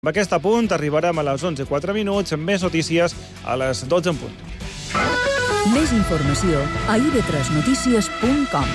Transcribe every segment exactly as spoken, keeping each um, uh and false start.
Amb aquest apunt arribarem a les onze i quatre minuts, amb més notícies a les dotze en punt. Més informació a i ve tres notícies punt com.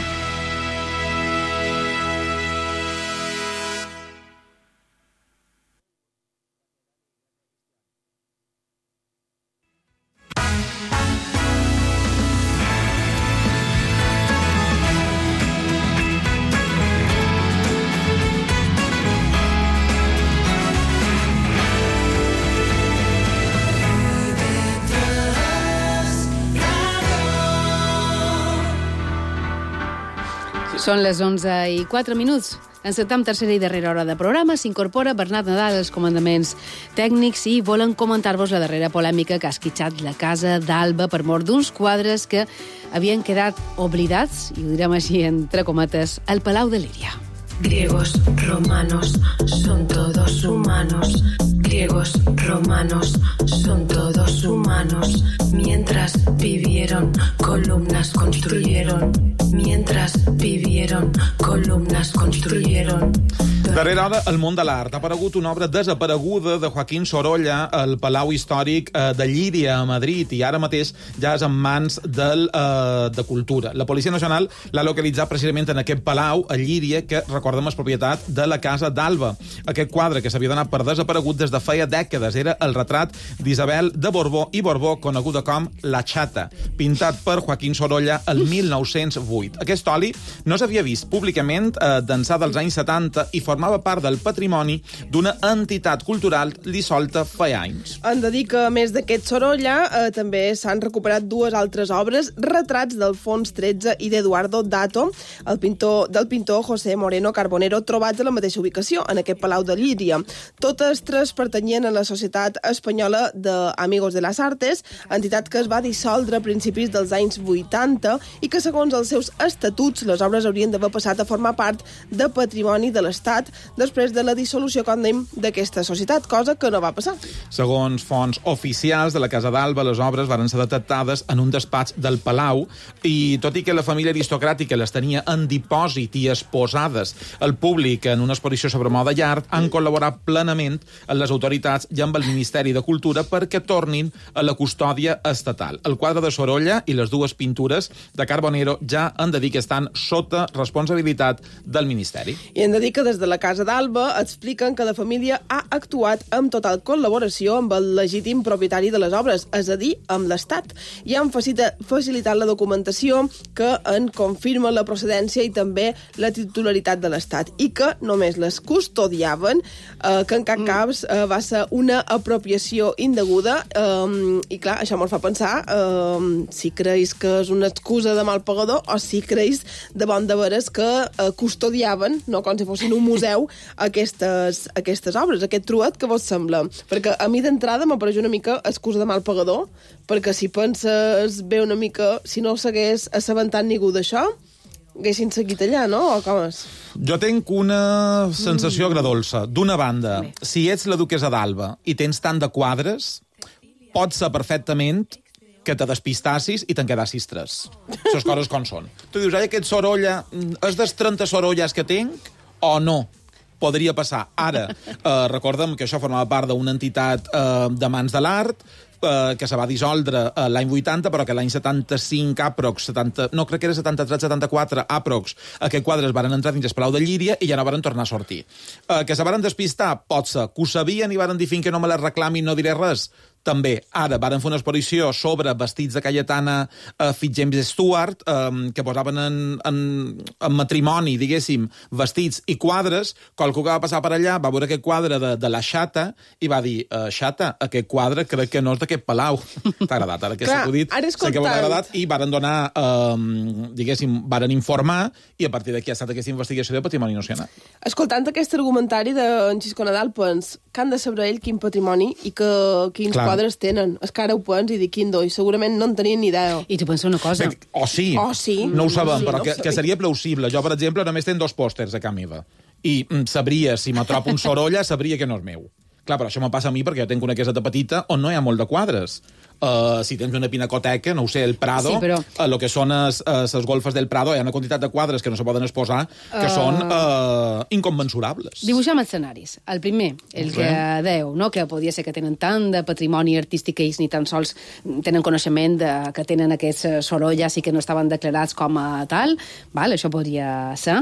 Són les onze i quatre minuts. Encetem tercera i darrera hora de programa. S'incorpora Bernat Nadal als comandaments tècnics i volen comentar-vos la darrera polèmica que ha esquitxat la casa d'Alba per mort d'uns quadres que havien quedat oblidats, i ho direm així entre cometes, al Palau de Líria. Griegos, romanos, son todos humanos. Griegos, romanos, son todos humanos. Mientras vivieron, columnas construyeron. Mientras vivieron, columnas construyeron. Darrera hora, el món de l'art. Ha aparegut una obra desapareguda de Joaquín Sorolla al Palau Històric de Llíria, a Madrid, i ara mateix ja és en mans del, eh, de Cultura. La Policia Nacional l'ha localitzat precisament en aquest palau, a Llíria, que, recordem, és propietat de la Casa d'Alba. Aquest quadre, que s'havia donat per desaparegut des de feia dècades, era el retrat d'Isabel de Borbó i Borbó, coneguda com La Chata, pintat per Joaquín Sorolla el mil nou-cents vuit. Aquest oli no s'havia vist públicament eh, d'ençà dels anys setanta i formava part del patrimoni d'una entitat cultural dissolta feia anys. Han de dir que, a més d'aquest Sorolla, eh, també s'han recuperat dues altres obres, retrats d'Alfons tretze i d'Eduardo Dato, el pintor, del pintor José Moreno Carbonero, trobats a la mateixa ubicació, en aquest Palau de Llíria. Totes tres pertanyien a la Societat Espanyola d'Amigos de las Artes, entitat que es va dissoldre a principis dels anys vuitanta i que, segons els seus estatuts, les obres haurien d'haver passat a formar part de patrimoni de l'Estat després de la dissolució, com dèiem, d'aquesta societat, cosa que no va passar. Segons fonts oficials de la Casa d'Alba, les obres van ser detectades en un despatx del Palau i, tot i que la família aristocràtica les tenia en dipòsit i exposades al públic en una exposició sobre moda i art, han col·laborat plenament amb les autoritats i amb el Ministeri de Cultura perquè tornin a la custòdia estatal. El quadre de Sorolla i les dues pintures de Carbonero ja han de dir que estan sota responsabilitat del Ministeri. I hem de dir que des de la Casa d'Alba expliquen que la família ha actuat amb total col·laboració amb el legítim propietari de les obres, és a dir, amb l'Estat, i han facilitat la documentació que en confirma la procedència i també la titularitat de l'Estat, i que només les custodiaven, eh, que en cap cas eh, va ser una apropiació indeguda, eh, i clar, això ens fa pensar eh, si creus que és una excusa de mal pagador o si creus de bon de veres que eh, custodiaven, no com si fossin un museu, aquestes, aquestes obres, aquest truet que vos sembla? Perquè a mi d'entrada m'apareix una mica excusa de mal pagador, perquè si penses bé una mica, si no s'hagués assabentat ningú d'això, haguessin seguit allà, no? O com és? Jo tinc una sensació agradolça. D'una banda, si ets la duquesa d'Alba i tens tant de quadres, pot ser perfectament que te despistassis i te'n quedassis tres. Les coses com són. Tu dius, ai, aquest Sorolla, és dels trenta Sorollas que tinc o no? Podria passar. Ara, eh, recordem que això formava part d'una entitat eh, de mans de l'art, eh, que se va dissoldre eh, l'any vuitanta, però que l'any setanta-cinc, aprox, setanta, no, crec que era setanta-tres setanta-quatre, aprox, aquests quadres van entrar dins el Palau de Llíria i ja no van tornar a sortir. Eh, que se van despistar, pot ser. Que ho sabien i van dir fins que no me les reclamin, no diré res. També, ara, varen fer una exposició sobre vestits de Cayetana uh, Fitzjames Stewart, um, que posaven en, en, en matrimoni, diguéssim, vestits i quadres. Qualcú que va passar per allà va veure aquest quadre de, de la Chata i va dir, uh, Chata, aquest quadre crec que no és d'aquest palau. T'ha agradat, ara que s'ha acudit. Sé que m'ha agradat i varen donar, um, diguéssim, varen informar i a partir d'aquí ha estat aquesta investigació de Patrimoni Nacional. Escoltant aquest argumentari d'en Xisco Nadal, pens que han de saber ell quin patrimoni i que, quins Clar. quadres tenen. És que ara ho pens i dic quin do, i segurament no en tenien ni idea. I tu pensa una cosa. Bé, o sí, oh, sí. no ho sabem, sí, però no que, que seria plausible. Jo, per exemple, només tenc dos pòsters a casa meva. I mm, sabria, si m'atropo un Sorolla, sabria que no és meu. Clar, però això me passa a mi perquè jo tinc una caseta petita on no hi ha molt de quadres. Uh, si tens una pinacoteca, no ho sé, el Prado, sí, però... uh, lo que són les uh, golfes del Prado, hi ha una quantitat de quadres que no se poden exposar que uh... són uh, incommensurables. Dibuixem escenaris. El primer, el que dèu, no? Que podia ser que tenen tant de patrimoni artístic que ells ni tan sols tenen coneixement de, que tenen aquests sorolles i que no estaven declarats com a tal. Val, això podria ser.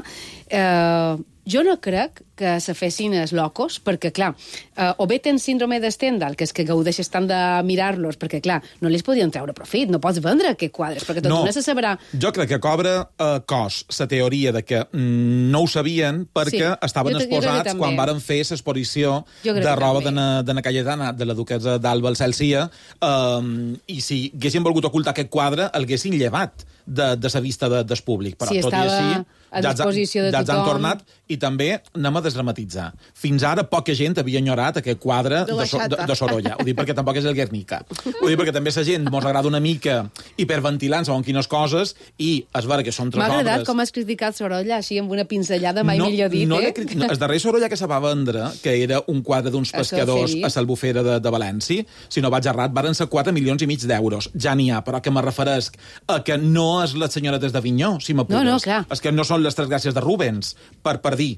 Uh, jo no crec que se fessin els locos, perquè, clar, eh, o bé tens síndrome de Stendhal, que és que gaudeixes tant de mirar-los, perquè, clar, no li podien treure profit, no pots vendre aquests quadres, perquè tot no, no se sabrà... Jo crec que cobra eh, cos la teoria de que mm, no ho sabien perquè sí, estaven jo, exposats jo quan varen fer l'exposició de roba de na Cayetana, de la duquesa d'Alba al Celsia, um, i si haguessin volgut ocultar aquest quadre, el haguessin llevat de, de la vista de, del públic. Però sí, tot i així, a disposició de ja tothom. han tornat, i també anem a desdramatitzar. Fins ara poca gent havia enyorat aquest quadre de, de, de, de Sorolla. Ho dic perquè tampoc és el Guernica. Ho dic perquè també la gent mos agrada una mica hiperventilant segons quines coses, i és vera que són tres obres... M'ha agradat com has criticat Sorolla, així amb una pinzellada, mai no, millor dit, no eh? Criti... No, el darrer Sorolla que se va vendre, que era un quadre d'uns pescadors a l'Albufera de, de València, si no vaig errat, varen ser quatre milions i mig d'euros. Ja n'hi ha, però que me referesc a que no és les senyoretes d'Avinyó, si m'apures. No, no, clar. És que no són les tres gràcies de Rubens, per, per dir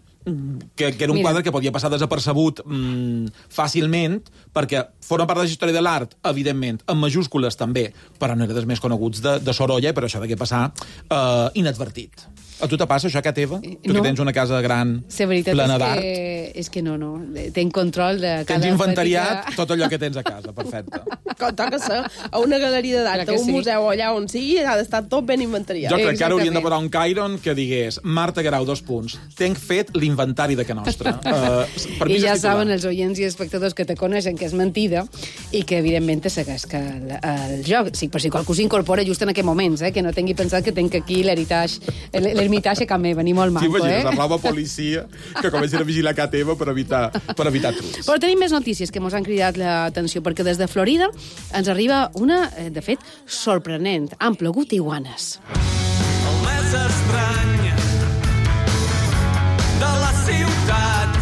que, que era un Mira. quadre que podia passar desapercebut mm, fàcilment, perquè forma part de la història de l'art, evidentment, en majúscules també, però no era dels més coneguts de, de Sorolla, i per això degué passar uh, inadvertit. A tu te passa això, Cat Eva? Tu no. que tens una casa gran, plena d'art. Que, és que no, no. Tenc control de cada... Tens inventariat petita... tot allò que tens a casa, perfecte. Com toca ser a una galeria d'art, a un sí. museu, allà on sigui, ha d'estar tot ben inventariat. Jo crec que ara hauríem de posar un Cairon que digués Marta Guerau, dos punts. Tenc fet l'inventari de que nostra. Uh, per I ja saben els oients i espectadors que te coneixen que és mentida i que, evidentment, te segueix que el, el joc. Sí, per si qualcú s'incorpora just en aquests moments, eh, que no tingui pensat que tenc aquí l'heritage, l'ermitatge que m'he venir molt manco, sí, eh? Sí, la policia que comencin a vigilar Cat Eva per evitar, per evitar trucs. Però tenim més notícies que ens han cridat l'atenció, perquè des de Florida ens arriba una, de fet, sorprenent. Han plogut iguanes. El més estrany de la ciutat.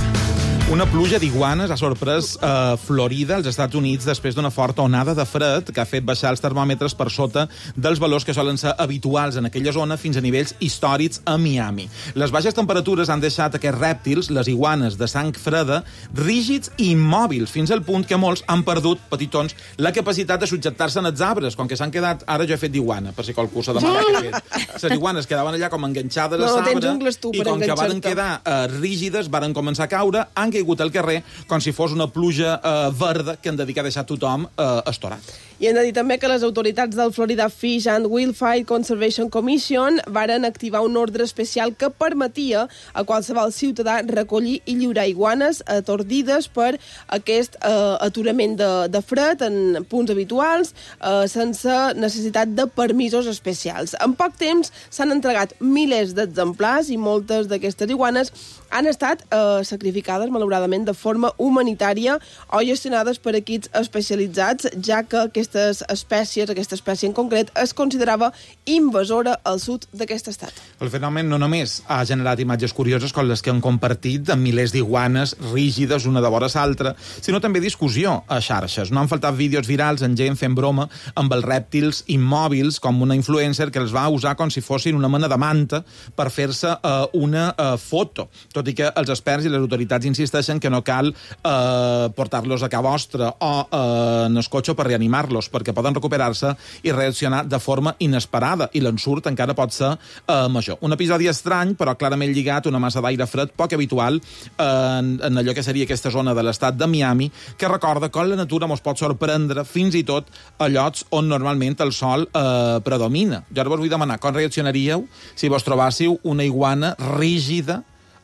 Una pluja d'iguanes ha sorprès a Florida, als Estats Units, després d'una forta onada de fred que ha fet baixar els termòmetres per sota dels valors que solen ser habituals en aquella zona fins a nivells històrics a Miami. Les baixes temperatures han deixat aquests rèptils, les iguanes de sang freda, rígids i immòbils, fins al punt que molts han perdut, petitons, la capacitat de subjectar-se en els arbres, com que s'han quedat... Ara jo he fet d'iguana, per si qualcú s'ha demanat què he fet. Les iguanes quedaven allà com enganxades no, a l'arbre, i com que van quedar uh, rígides, van començar a caure, han caigut al carrer com si fos una pluja eh, verda que han de dir que ha deixat tothom eh, estorat. I hem de dir també que les autoritats del Florida Fish and Wildlife Conservation Commission varen activar un ordre especial que permetia a qualsevol ciutadà recollir i lliurar iguanes atordides per aquest eh, aturament de, de fred en punts habituals eh, sense necessitat de permisos especials. En poc temps s'han entregat milers d'exemplars i moltes d'aquestes iguanes han estat eh, sacrificades, malauradament, de forma humanitària o gestionades per equips especialitzats, ja que aquestes espècies, aquesta espècie en concret, es considerava invasora al sud d'aquest estat. El fenomen no només ha generat imatges curioses com les que han compartit de milers d'iguanes rígides una de vora l'altra, sinó també discussió a xarxes. No han faltat vídeos virals en gent fent broma amb els rèptils immòbils, com una influencer que els va usar com si fossin una mena de manta per fer-se uh, una uh, foto. Tot i que els experts i les autoritats insisteixen que no cal eh, portar-los a casa vostra o eh, en el cotxe per reanimar-los, perquè poden recuperar-se i reaccionar de forma inesperada, i l'ensurt encara pot ser eh, major. Un episodi estrany, però clarament lligat a una massa d'aire fred poc habitual eh, en, en allò que seria aquesta zona de l'estat de Miami, que recorda com la natura ens pot sorprendre fins i tot a llocs on normalment el sol eh, predomina. Jo ara vos vull demanar com reaccionaríeu si vos trobàssiu una iguana rígida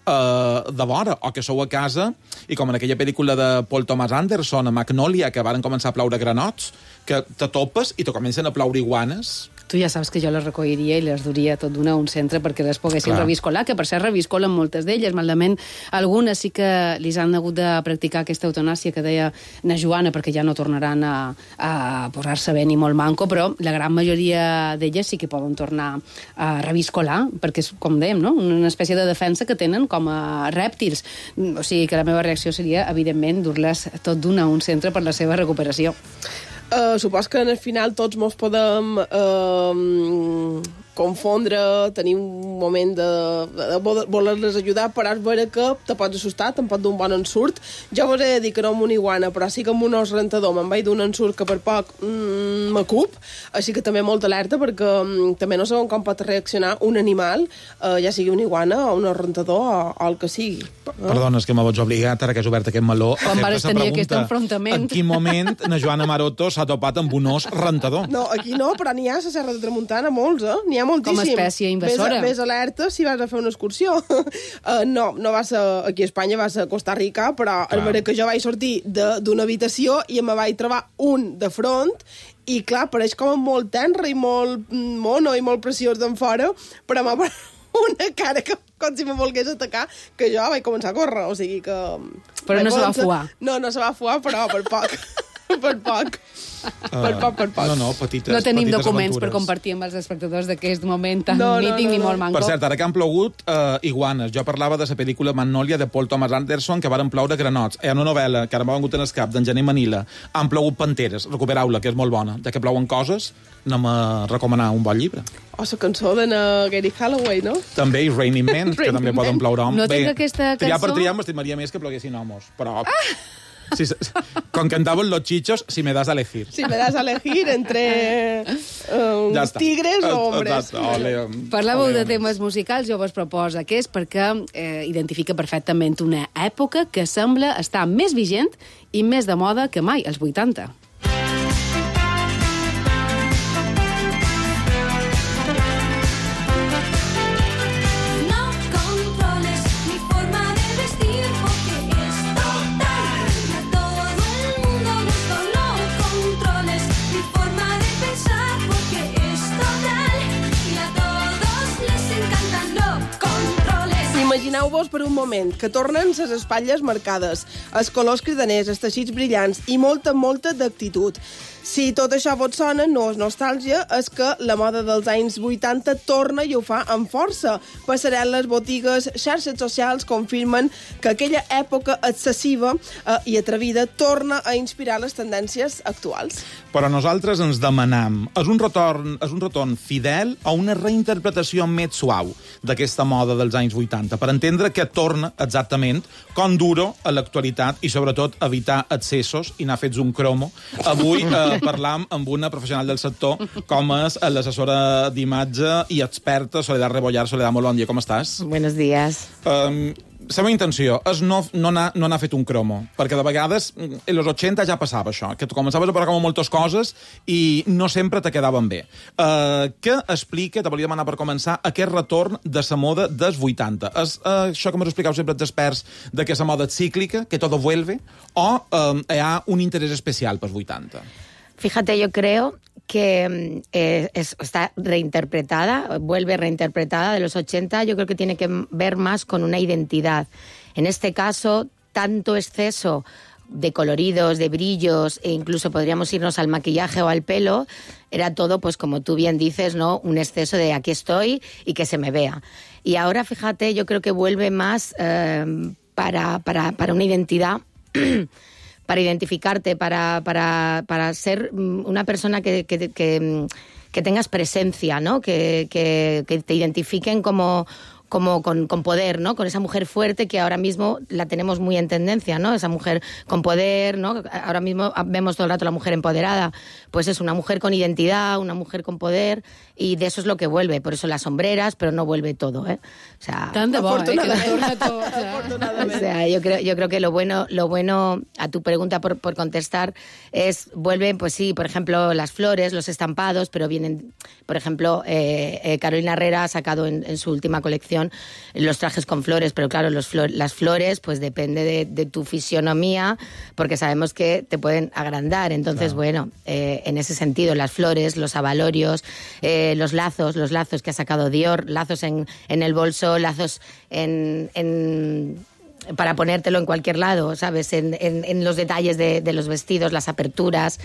de vora, o que sou a casa i com en aquella pel·lícula de Paul Thomas Anderson, a Magnolia, que varen començar a plaure granots, que te topes i te comencen a plaure iguanes. Tu ja saps que jo les recolliria i les duria tot d'una a un centre perquè les poguessin Clar. reviscolar, que per cert reviscolen moltes d'elles, malament algunes sí que li han hagut de practicar aquesta eutanàsia que deia na Joana, perquè ja no tornaran a, a posar-se bé ni molt manco, però la gran majoria d'elles sí que poden tornar a reviscolar, perquè és, com dèiem, no? Una espècie de defensa que tenen com a rèptils. O sigui que la meva reacció seria, evidentment, dur-les tot d'una a un centre per la seva recuperació. Uh, supos que al final tots mos podem uh, confondre, tenir un moment de, de voler-les ajudar, però és vera que te pots assustar, te'n pot d'un bon ensurt. Jo vos he de dir que no amb una iguana, però sí que amb un os rentador me'n vaig d'un ensurt que per poc mm, m'acup, així que també molt alerta, perquè mm, també no sabem com pot reaccionar un animal, uh, ja sigui una iguana o un os rentador o, o el que sigui. Perdona, és que me veig obligat, ara que has obert aquest meló, a Quan fer-te vares tenir aquest enfrontament. En quin moment na Joana Maroto s'ha topat amb un os rentador? No, aquí no, però n'hi ha a la Serra de Tramuntana molts, eh? N'hi ha moltíssim. Com a espècie invasora. Ves, ves alerta si vas a fer una excursió. uh, no, no vas a, aquí a Espanya, vas a Costa Rica, però és vera que jo vaig sortir d'una habitació i me vaig trobar un de front i, clar, pareix com molt tenra i molt mono i molt preciós d'en fora, però m'ha una cara que com si me volgués atacar, que jo vaig començar a córrer, o sigui que... Però no se va fuar. No, no se va fuar, però per poc. per poc. Per poc, per poc. No, no, petites, no tenim petites documents aventures. per compartir amb els espectadors d'aquest moment tan No, no, mític no, ni no. molt manco. Per cert, ara que han plogut eh, iguanes. Jo parlava de la pel·lícula Magnolia de Paul Thomas Anderson, que varen ploure granots. Hi ha una novel·la que ara m'ha vengut en el cap, d'en Gené Manila. Han plogut panteres. Recuperau-la, que és molt bona. Ja que plouen coses, anem a recomanar un bon llibre. O la cançó de Gary Holloway, no? També i Raining Men, que Raining també poden Men. ploure homes. No tinc aquesta triar cançó. per triar m'estimaria més que ploguessin homes. Però... Ah! Si, con cantaven los chichos, si me das a elegir. Si me das a elegir entre uh, Ja està. tigres o hombres. Exacte. Ole, Parlàveu ole, de temes musicals, jo vos proposo aquest perquè eh, identifica perfectament una època que sembla estar més vigent i més de moda que mai, els vuitanta. Imagineu-vos per un moment que tornen ses espatlles marcades, els colors cridaners, els teixits brillants i molta, molta d'actitud. Si tot això vos sona, no és nostàlgia, és que la moda dels anys vuitanta torna i ho fa amb força. Passarel·les, botigues, xarxes socials confirmen que aquella època excessiva eh, i atrevida torna a inspirar les tendències actuals. Però nosaltres ens demanam, és un retorn, és un retorn fidel o una reinterpretació més suau d'aquesta moda dels anys vuitanta, per entendre que torna exactament com duro a l'actualitat i sobretot evitar excessos i anar fets un cromo. Avui eh, parlam amb una professional del sector com és l'assessora d'imatge i experta Soledad Rebollar. Soledad, molt bon dia, com estàs? Buenos días. Um, la meva intenció és no, no, anar, no anar fet un cromo, perquè de vegades, en los ochenta ja passava això, que tu començaves a parlar com moltes coses i no sempre te quedaven bé. Uh, què explica, te volia demanar per començar, aquest retorn de la moda dels vuitanta? És uh, això que m'ho explicau sempre els experts, de que la moda és cíclica, que todo vuelve, o uh, hi ha un interès especial pels vuitanta? Fíjate, yo creo que eh, es, está reinterpretada, vuelve reinterpretada de los ochenta, yo creo que tiene que ver más con una identidad. En este caso, tanto exceso de coloridos, de brillos, e incluso podríamos irnos al maquillaje o al pelo, era todo, pues como tú bien dices, ¿no? Un exceso de aquí estoy y que se me vea. Y ahora, fíjate, yo creo que vuelve más eh, para, para, para una identidad... para identificarte, para, para, para ser una persona que, que, que, que tengas presencia, ¿no? Que, que, que te identifiquen como, como con, con poder, ¿no? Con esa mujer fuerte que ahora mismo la tenemos muy en tendencia, ¿no? Esa mujer con poder, ¿no? Ahora mismo vemos todo el rato la mujer empoderada. Pues es una mujer con identidad, una mujer con poder, y de eso es lo que vuelve. Por eso las sombreras, pero no vuelve todo, ¿eh? O sea, Tant de bo, eh? Que torna tot. o sea, yo creo, yo creo que lo bueno, lo bueno a tu pregunta por, por contestar es, vuelven, pues sí, por ejemplo, las flores, los estampados, pero vienen, por ejemplo, eh, eh, Carolina Herrera ha sacado en, en su última colección decoración, los trajes con flores, pero claro, los flor, las flores, pues depende de, de tu fisionomía, porque sabemos que te pueden agrandar. Entonces, claro. bueno, eh, en ese sentido, las flores, los abalorios, eh, los lazos, los lazos que ha sacado Dior, lazos en, en el bolso, lazos en... en para ponértelo en cualquier lado, ¿sabes? En, en, en los detalles de, de los vestidos, las aperturas,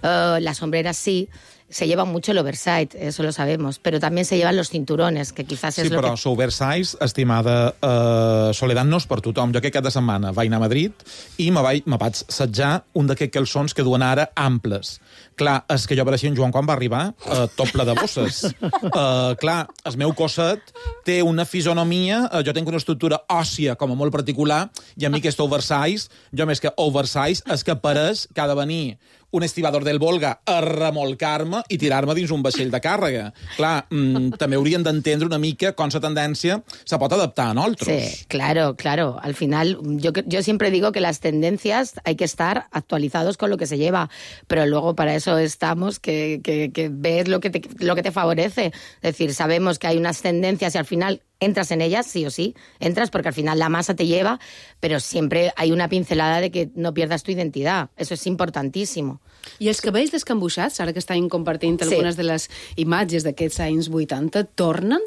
uh, las sombreras sí. Se lleva mucho el oversize, eso lo sabemos, però també se llevan los cinturones, que quizás sí, és lo però que... l'oversize, estimada uh, Soledad, no és per tothom. Jo aquest cap de setmana vaig anar a Madrid i me vaig, me vaig setjar un d'aquests calçons que duen ara amples. Clar, és que jo pareixia en Joan quan va arribar, uh, tot ple de bosses. Uh, clar, el meu cosset té una fisonomia, uh, jo tinc una estructura òssia com a molt particular, i a mi aquest oversize, jo més que oversize, és que pareix que ha de venir un estibador del Volga a remolcar-me i tirar-me dins un vaixell de càrrega. Clar, mmm, també haurien d'entendre una mica com la tendència se pot adaptar a nosaltres. Sí, claro, claro. Al final, yo, yo siempre digo que las tendencias hay que estar actualizados con lo que se lleva, pero luego para eso estamos, que, que, que ves lo que, te, lo que te favorece. Es decir, sabemos que hay unas tendencias y al final entras en ellas, sí o sí, entras porque al final la masa te lleva, pero siempre hay una pincelada de que no pierdas tu identidad. Eso es importantísimo. I els cabells descambuixats, ara que estan compartint algunes sí. de les imatges d'aquests anys vuitanta, tornen?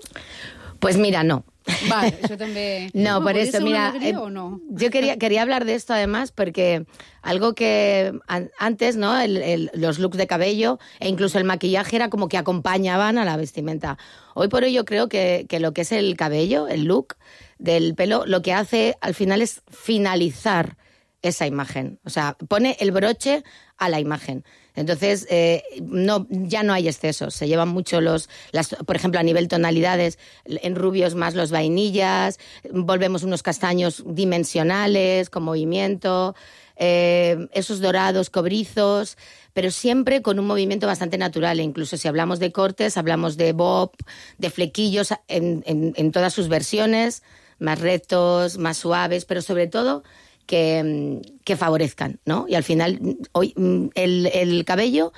Pues mira, no. Vale, eso también... No, por eso, mira, eh, o no? yo quería, quería hablar de esto además porque algo que an, antes, ¿no? El, el, los looks de cabello e incluso el maquillaje era como que acompañaban a la vestimenta. Hoy por hoy yo creo que, que lo que es el cabello, el look del pelo, lo que hace al final es finalizar esa imagen. O sea, pone el broche a la imagen. Entonces, eh, no, ya no hay excesos. Se llevan mucho los, las, por ejemplo, a nivel tonalidades, en rubios más los vainillas, volvemos unos castaños dimensionales, con movimiento, eh, esos dorados cobrizos, pero siempre con un movimiento bastante natural. E incluso si hablamos de cortes, hablamos de bob, de flequillos en, en, en todas sus versiones, más rectos, más suaves, pero sobre todo que, que favorezcan, ¿no? Y al final, hoy el, el cabello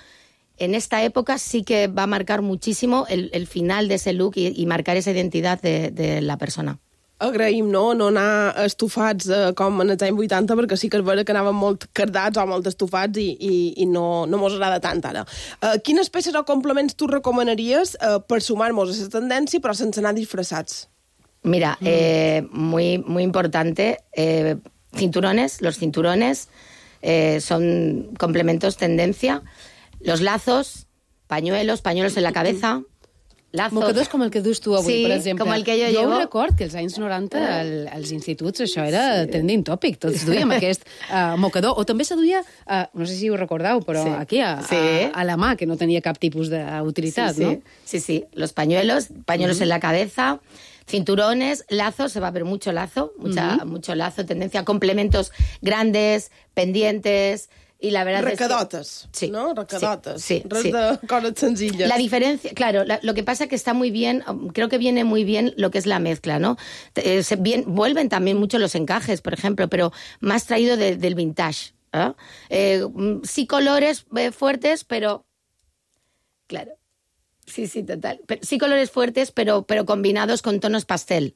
en esta época sí que va a marcar muchísimo el, el final de ese look i, i marcar esa identitat de, de la persona. Agraïm, no?, no anar estufats eh, com en els anys vuitanta, perquè sí que és vera que anaven molt cardats o molt estufats i, i, i no, no mos agrada tant ara. Eh, quines peces o complements tu recomanaries eh, per sumar-nos a aquesta tendència, però sense anar disfressats? Mira, mm. eh, muy, muy importante... Eh, cinturones, los cinturones eh, son complementos tendencia. Los lazos, pañuelos, pañuelos en la cabeza, lazos... Mocadors com el que dus tu avui, sí, per exemple. com el que jo, jo llevo. Jo record que als anys noranta al, als instituts això era sí. trending topic. Tots duíem aquest uh, mocador. O també se duia, uh, no sé si ho recordeu, però sí. aquí a, sí. a, a la mà, que no tenia cap tipus d'utilitat, sí, sí. no? Sí, sí. Los pañuelos, pañuelos mm-hmm. en la cabeza... Cinturones, lazos, se va a ver mucho lazo, mucha, uh-huh. mucho lazo, tendencia a complementos grandes, pendientes, y la verdad Recadotes, es que... sí, ¿no? Recadotes. Sí, Res sí. de cosas sencillas. La diferencia, claro, la, lo que pasa es que está muy bien, creo que viene muy bien lo que es la mezcla, ¿no? Eh, se, bien, vuelven también mucho los encajes, por ejemplo, pero más traído de, del vintage. ¿eh? Eh, sí colores eh, fuertes, pero... Claro. Sí, sí, total. Pero, sí colores fuertes, pero, pero combinados con tonos pastel.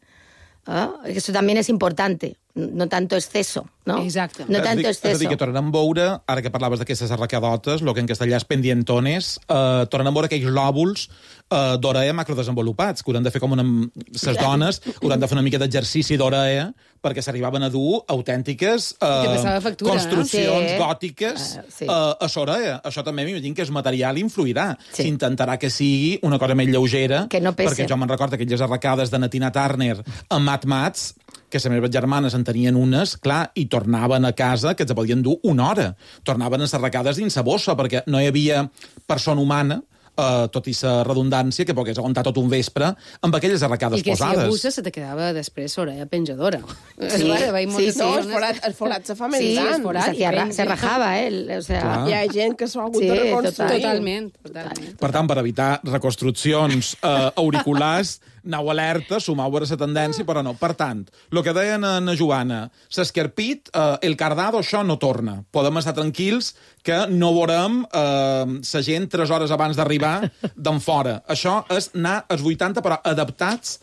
¿Ah? Eso también es importante. No tanto exceso, no? Exacte. No tanto exceso. És a dir, que tornem a veure, ara que parlaves d'aquestes arracadotes, el que en castellà és pendientones, eh, tornem a veure aquells lòbuls eh, d'orella macrodesenvolupats, que hauran de fer com una... Les dones hauran de fer una mica d'exercici d'orella perquè s'arribaven a dur autèntiques eh, factura, construccions no? sí. gòtiques uh, sí. eh, a l'orella. Això també m'imagino que el material influirà. Sí. S'intentarà que sigui una cosa més lleugera, que no pese. Perquè jo me'n recordo aquelles arracades de Natina Turner amb Mat Mats, que les meves germanes en tenien unes, clar, i tornaven a casa, que ens podien dur una hora. Tornaven encerracades dins la bossa, perquè no hi havia persona humana, eh, tot i la redundància, que pogués aguantar tot un vespre amb aquelles arracades posades. I que posades. si abuses se te quedava després l'orella penjadora. Sí, sí, sí. No, el forat, el forat se fa més sí, gran. Forat, se, arra, se rajava, eh? O sea, Clar. Hi ha gent que s'ho ha hagut Sí, de reconstruir. Totalment, totalment. Per tant, per evitar reconstruccions eh, auriculars, anau alerta, sumau a la tendència, però no. Per tant, el que deien a na Joana, l'esquerpit, eh, el cardado, això no torna. Podem estar tranquils que no veurem eh, la gent tres hores abans d'arribar d'en fora. Això és anar als vuitanta, però adaptats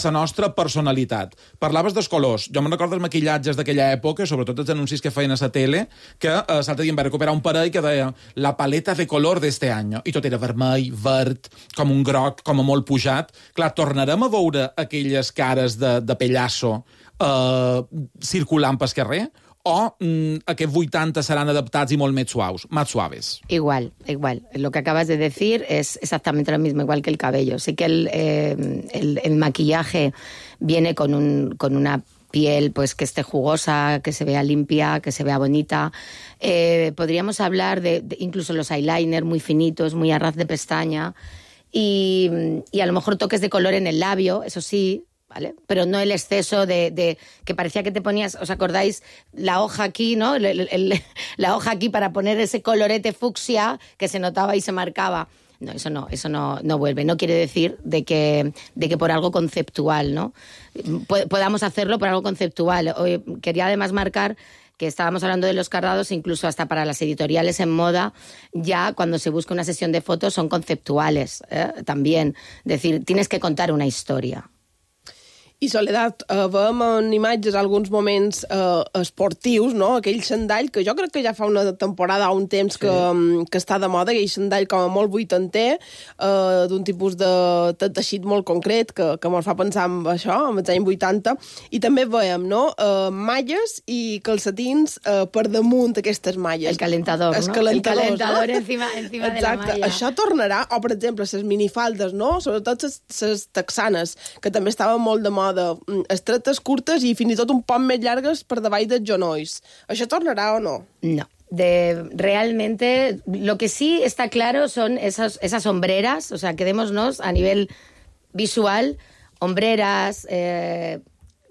a la nostra personalitat. Parlaves dels colors. Jo me'n recordo els maquillatges d'aquella època, sobretot els anuncis que feien a la tele, que eh, l'altre dia em va recuperar un parell que deia la paleta de color d'este any. I tot era vermell, verd, com un groc, com a molt pujat. Clar, tornarem a veure aquelles cares de, de pellasso eh, circulant pel carrer? O mm, aquests vuitanta seran adaptats y molt més suaus, más suaves. Igual, igual. Lo que acabas de decir es exactamente lo mismo, igual que el cabello. Sí que el, eh, el, el maquillaje viene con, un, con una piel pues que esté jugosa, que se vea limpia, que se vea bonita. Eh, podríamos hablar de, de incluso los eyeliner muy finitos, muy a ras de pestaña, y, y a lo mejor toques de color en el labio, eso sí, ¿vale? Pero no el exceso de, de que parecía que te ponías, ¿os acordáis? La hoja aquí, ¿no? El, el, el, la hoja aquí para poner ese colorete fucsia que se notaba y se marcaba. No, eso no, eso no, no vuelve. No quiere decir de que, de que por algo conceptual, ¿no? Podamos hacerlo por algo conceptual. Hoy quería además marcar que estábamos hablando de los cardados, incluso hasta para las editoriales en moda, ya cuando se busca una sesión de fotos son conceptuales, ¿eh? También. Es decir, tienes que contar una historia. I Soledat, eh, veiem en imatges alguns moments eh, esportius, no? Aquell xandall que jo crec que ja fa una temporada o un temps sí. que, que està de moda, aquell xandall com a molt vuitanter, eh, d'un tipus de, de teixit molt concret que, que ens fa pensar en això, en els anys vuitanta, i també veiem, no?, eh, malles i calcetins eh, per damunt d'aquestes malles. El calentador, es no? calentador, El calentador no? encima, encima Exacte. de la malla. Això tornarà, o per exemple, les minifaldes, no?, sobretot les texanes, que també estaven molt de moda, estretes, curtes i fins i tot un poc més llargues per davall dels genolls. ¿Això tornarà o no? No. De, realmente, lo que sí está claro son esas, esas hombreras, o sea, quedémonos a nivel visual, hombreras eh,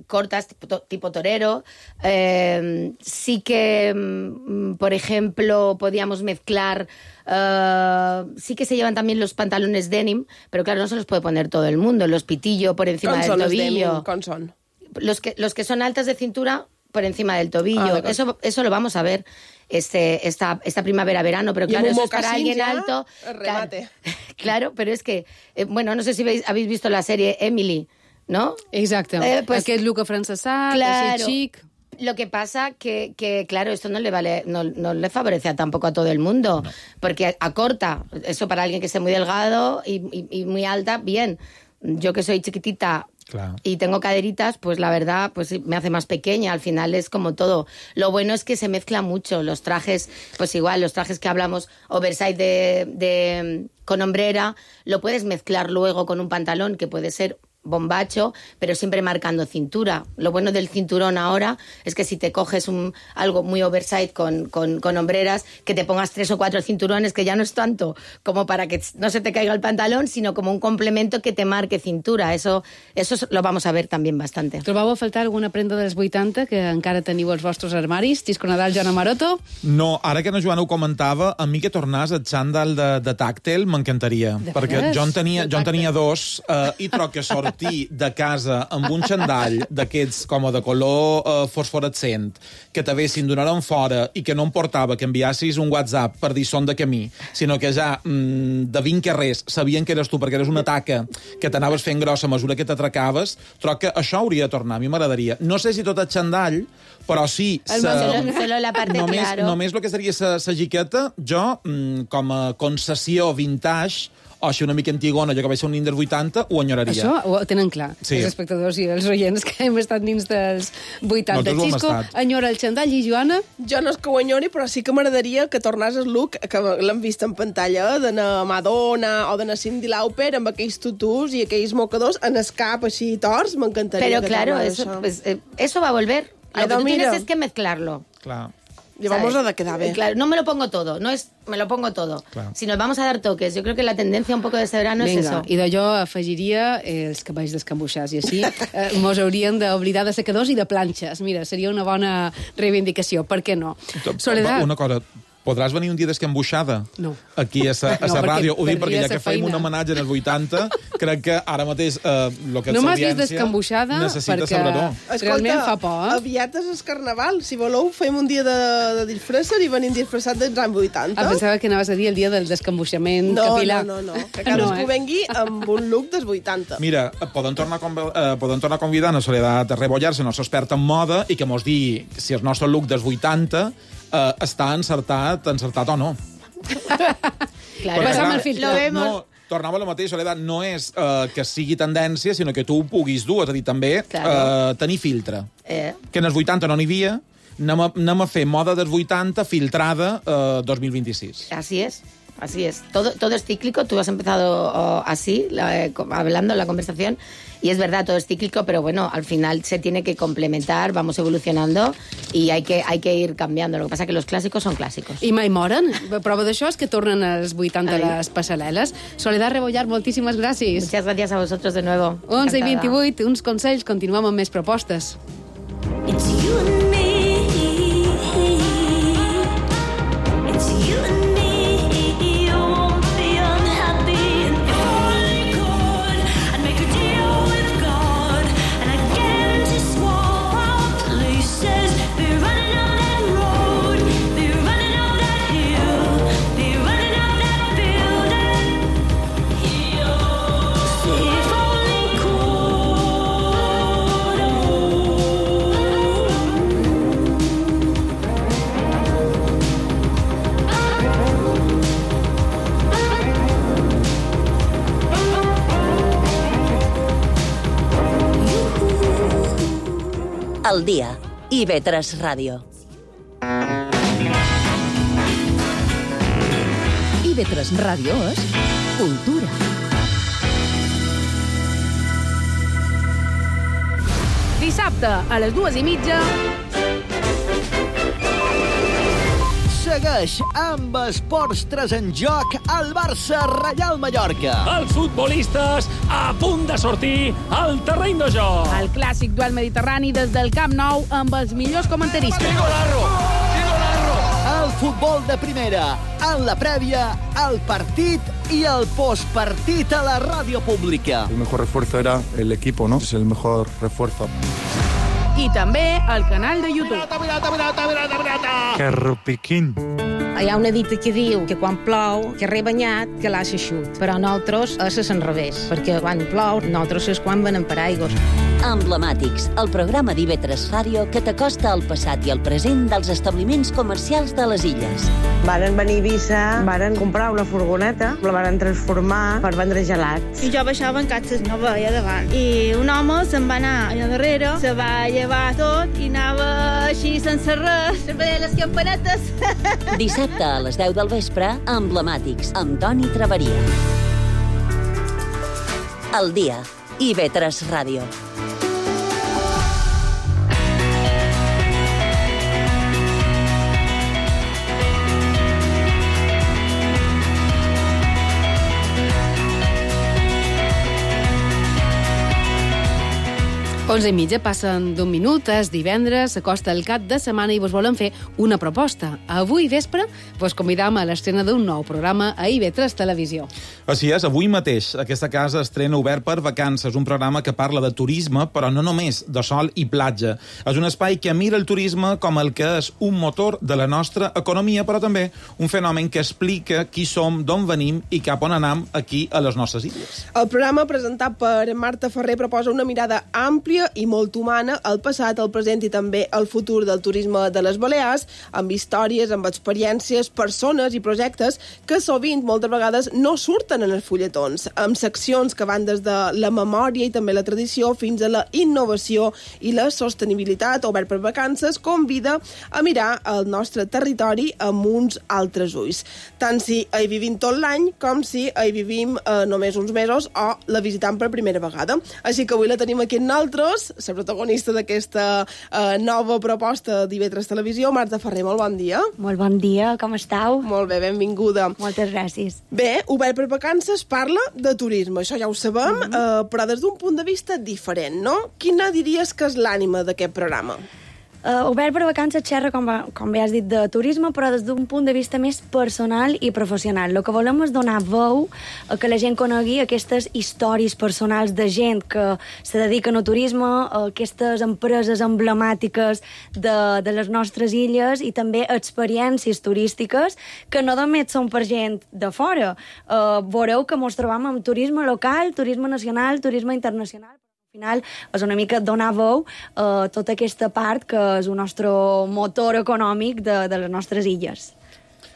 cortas, tipo, tipo torero. Eh, sí que, mm, por ejemplo, podíamos mezclar... Uh, sí que se llevan también los pantalones denim, pero claro, no se los puede poner todo el mundo. Los pitillo por encima del tobillo. ¿Cómo son? Los que, los que son altas de cintura por encima del tobillo. Ah, eso, eso lo vamos a ver este, esta, esta primavera-verano, pero claro, eso es para alguien alto. Remate. Claro, claro, pero es que, eh, bueno, no sé si veis, habéis visto la serie Emily, ¿no? Exacte. Eh, pues, Aquest look afrancesat, claro, així chic. Lo que pasa que, que claro, esto no le vale, no, no le favorece tampoco a todo el mundo, no. Porque acorta, eso para alguien que esté muy delgado y, y, y muy alta, bien. Yo que soy chiquitita claro. y tengo caderitas, pues la verdad, pues me hace más pequeña. Al final es como todo. Lo bueno es que se mezcla mucho. Los trajes, pues igual, los trajes que hablamos, oversize de, de con hombrera, lo puedes mezclar luego con un pantalón que puede ser bombacho, pero siempre marcando cintura. Lo bueno del cinturón ahora es que si te coges un, algo muy oversize con, con, con hombreras, que te pongas tres o cuatro cinturones, que ya no es tanto como para que no se te caiga el pantalón, sino como un complemento que te marque cintura. Eso, eso lo vamos a ver también bastante. Trobàveu a faltar alguna prenda dels vuitanta que encara teniu als vostres armaris? Xisco Nadal, Joana Maroto? No, ara que la Joana ho comentava, a mi que tornàs el xandall de, de tàctel m'encantaria, perquè jo en tenia, jo en tenia dos eh, i troc que sort de casa amb un xandall d'aquests com a de color eh, fosforescent que t'avessin donat en fora i que no em portava que enviassis un WhatsApp per dir són de camí, sinó que ja mm, de vint carrers sabien que eres tu perquè eres una taca que t'anaves fent grossa a mesura que t'atracaves, troc que això hauria de tornar, a mi m'agradaria. No sé si tot el xandall, però sí... Sa, solo, solo la parte només, claro. Només el que seria sa, sa jiqueta, jo, mm, com a concessió vintage, o així una mica antigona, jo que vaig ser un Inder vuitanta, ho enyoraria. Això ho tenen clar, sí. Els espectadors i els oients que hem estat dins dels vuitanta. No, Xisco enyora el xandall i Joana? Jo no és que ho enyori, però sí que m'agradaria que tornés el look, que l'hem vist en pantalla, d'anar Madonna o d'anar Cyndi Lauper amb aquells tutus i aquells mocadors en el cap així tors, m'encantaria. Pero claro, eso, pues, eh, eso va a volver. Lo que tú tienes es que mezclarlo. Claro. Llevamos a de quedar bien. Claro, no me lo pongo todo, no es me lo pongo todo. Claro. Si nos vamos a dar toques, yo creo que la tendencia un poco de este verano Venga, es eso. I d'allò afegiria eh, els cabells descambuixats i així eh, mos haurien d'oblidar de secadors i de planxes. Mira, seria una bona reivindicació, per què no? Soledat. Una cosa, Podràs venir un dia d'escambuixada? No. Aquí a la No, perquè ràdio. Ho dic perquè perdria ja que sa fem feina. un homenatge en els vuitanta, crec que ara mateix eh, lo que és No m'has vist l'audiència d'escambuixada necessita perquè saber-ho. realment fa por, eh? aviat és el carnaval. Si voleu, fem un dia de, de disfresser i venim disfressats dels anys vuitanta. Ah, pensava que anaves a dir el dia del descambuixament No, capilar. no, no, no. Que cadascú No, eh? vengui amb un look dels vuitanta. Mira, poden tornar, a conv- eh, poden tornar a convidar a Soledat a Rebollar, la nostra experta en moda, i que mos digui si el nostre look dels vuitanta eh, està encertat, encertat o no. Claro. Perquè, Passa'm clar, el filtre. Lo vemos. No, tornava a lo mateix, Soledat, no és eh, que sigui tendència, sinó que tu ho puguis dur, és a dir, també Claro. eh, tenir filtre. Eh, Que en els vuitanta no n'hi havia, anem a, anem a fer moda dels vuitanta filtrada eh, dos mil vint-i-sis. Así es, así es. Todo, todo es cíclico. Tú has empezado oh, así, la, eh, hablando en la conversación, y es verdad, todo es cíclico, pero bueno, al final se tiene que complementar, vamos evolucionando y hay que, hay que ir cambiando. Lo que pasa es que los clásicos son clásicos. I mai moren. Prova d'això és que tornen als vuitanta Ai. les passarel·les. Soledad Rebollar, moltíssimes gràcies. Muchas gracias a vosotros de nuevo. onze i Encantada. vint-i-vuit, uns consells, continuem amb més propostes. It's you and me. It's you and me. You won't be unhappy. And if I could, I'd make a deal with God. And I'd get him to swap our places. Be running up that road. Be running up that hill. Be running up that building. If only could. El dia. I ve tres Ràdio. I ve tres Ràdio és cultura. Dissabte, a les dues i mitja, Segueix amb Esports tres en joc al Barça Reial Mallorca. Els futbolistes a punt de sortir al terreny de joc. El clàssic duel mediterrani des del Camp Nou amb els millors comentaristes. El futbol de primera, en la prèvia, el partit i el postpartit a la ràdio pública. El mejor refuerzo era el equipo, ¿no? Es el mejor refuerzo. I també al canal de YouTube. Que rupiquín. Hi ha una dita que diu que quan plou, que rebanyat, que l'ha xut. Però nosaltres és a l'enrevés, perquè quan plou, nosaltres és quan venen paraigües. Emblemàtics, el programa d'I V tres Ràdio que t'acosta al passat i al present dels establiments comercials de les illes. Varen venir a Eivissa, varen comprar una furgoneta, la varen transformar per vendre gelats. I jo baixava en catxes, no veia davant. I un home se'n va anar allà darrere, se va llevar tot i anava així sense res, sempre deia les campanetes. Dissabte a les deu del vespre, Emblemàtics, amb Toni Traveria. El dia. I V tres Ràdio. onze i mitja, passen d'un minut, és divendres, s'acosta el cap de setmana i vos volem fer una proposta. Avui vespre vos convidam a l'estrena d'un nou programa a I V tres Televisió. Així és, avui mateix aquesta casa estrena Obert per Vacances, un programa que parla de turisme, però no només de sol i platja. És un espai que mira el turisme com el que és un motor de la nostra economia, però també un fenomen que explica qui som, d'on venim i cap on anam aquí a les nostres illes. El programa presentat per Marta Ferrer proposa una mirada àmplia i molt humana al passat, al present i també al futur del turisme de les Balears, amb històries, amb experiències, persones i projectes que sovint, moltes vegades, no surten en els fulletons, amb seccions que van des de la memòria i també la tradició fins a la innovació i la sostenibilitat. Obert per Vacances convida a mirar el nostre territori amb uns altres ulls, tant si hi vivim tot l'any com si hi vivim eh, només uns mesos o la visitam per primera vegada. Així que avui la tenim aquí amb nosaltres, la protagonista d'aquesta eh, nova proposta d'I V tres Televisió, Marta Ferrer, molt bon dia. Molt bon dia, com estàu? Molt bé, benvinguda. Moltes gràcies. Bé, Obert per Vacances parla de turisme, això ja ho sabem, mm -hmm. eh, però des d'un punt de vista diferent, no? Quina diries que és l'ànima d'aquest programa? Uh, Obert per Vacances xerra, com, va, com bé has dit, de turisme, però des d'un punt de vista més personal i professional. El que volem és donar veu a que la gent conegui aquestes històries personals de gent que se dediquen al turisme, a aquestes empreses emblemàtiques de, de les nostres illes i també experiències turístiques que no només són per gent de fora. Uh, veureu que ens trobam amb turisme local, turisme nacional, turisme internacional. Al final és una mica donar veu a tota aquesta part que és el nostre motor econòmic de, de les nostres illes.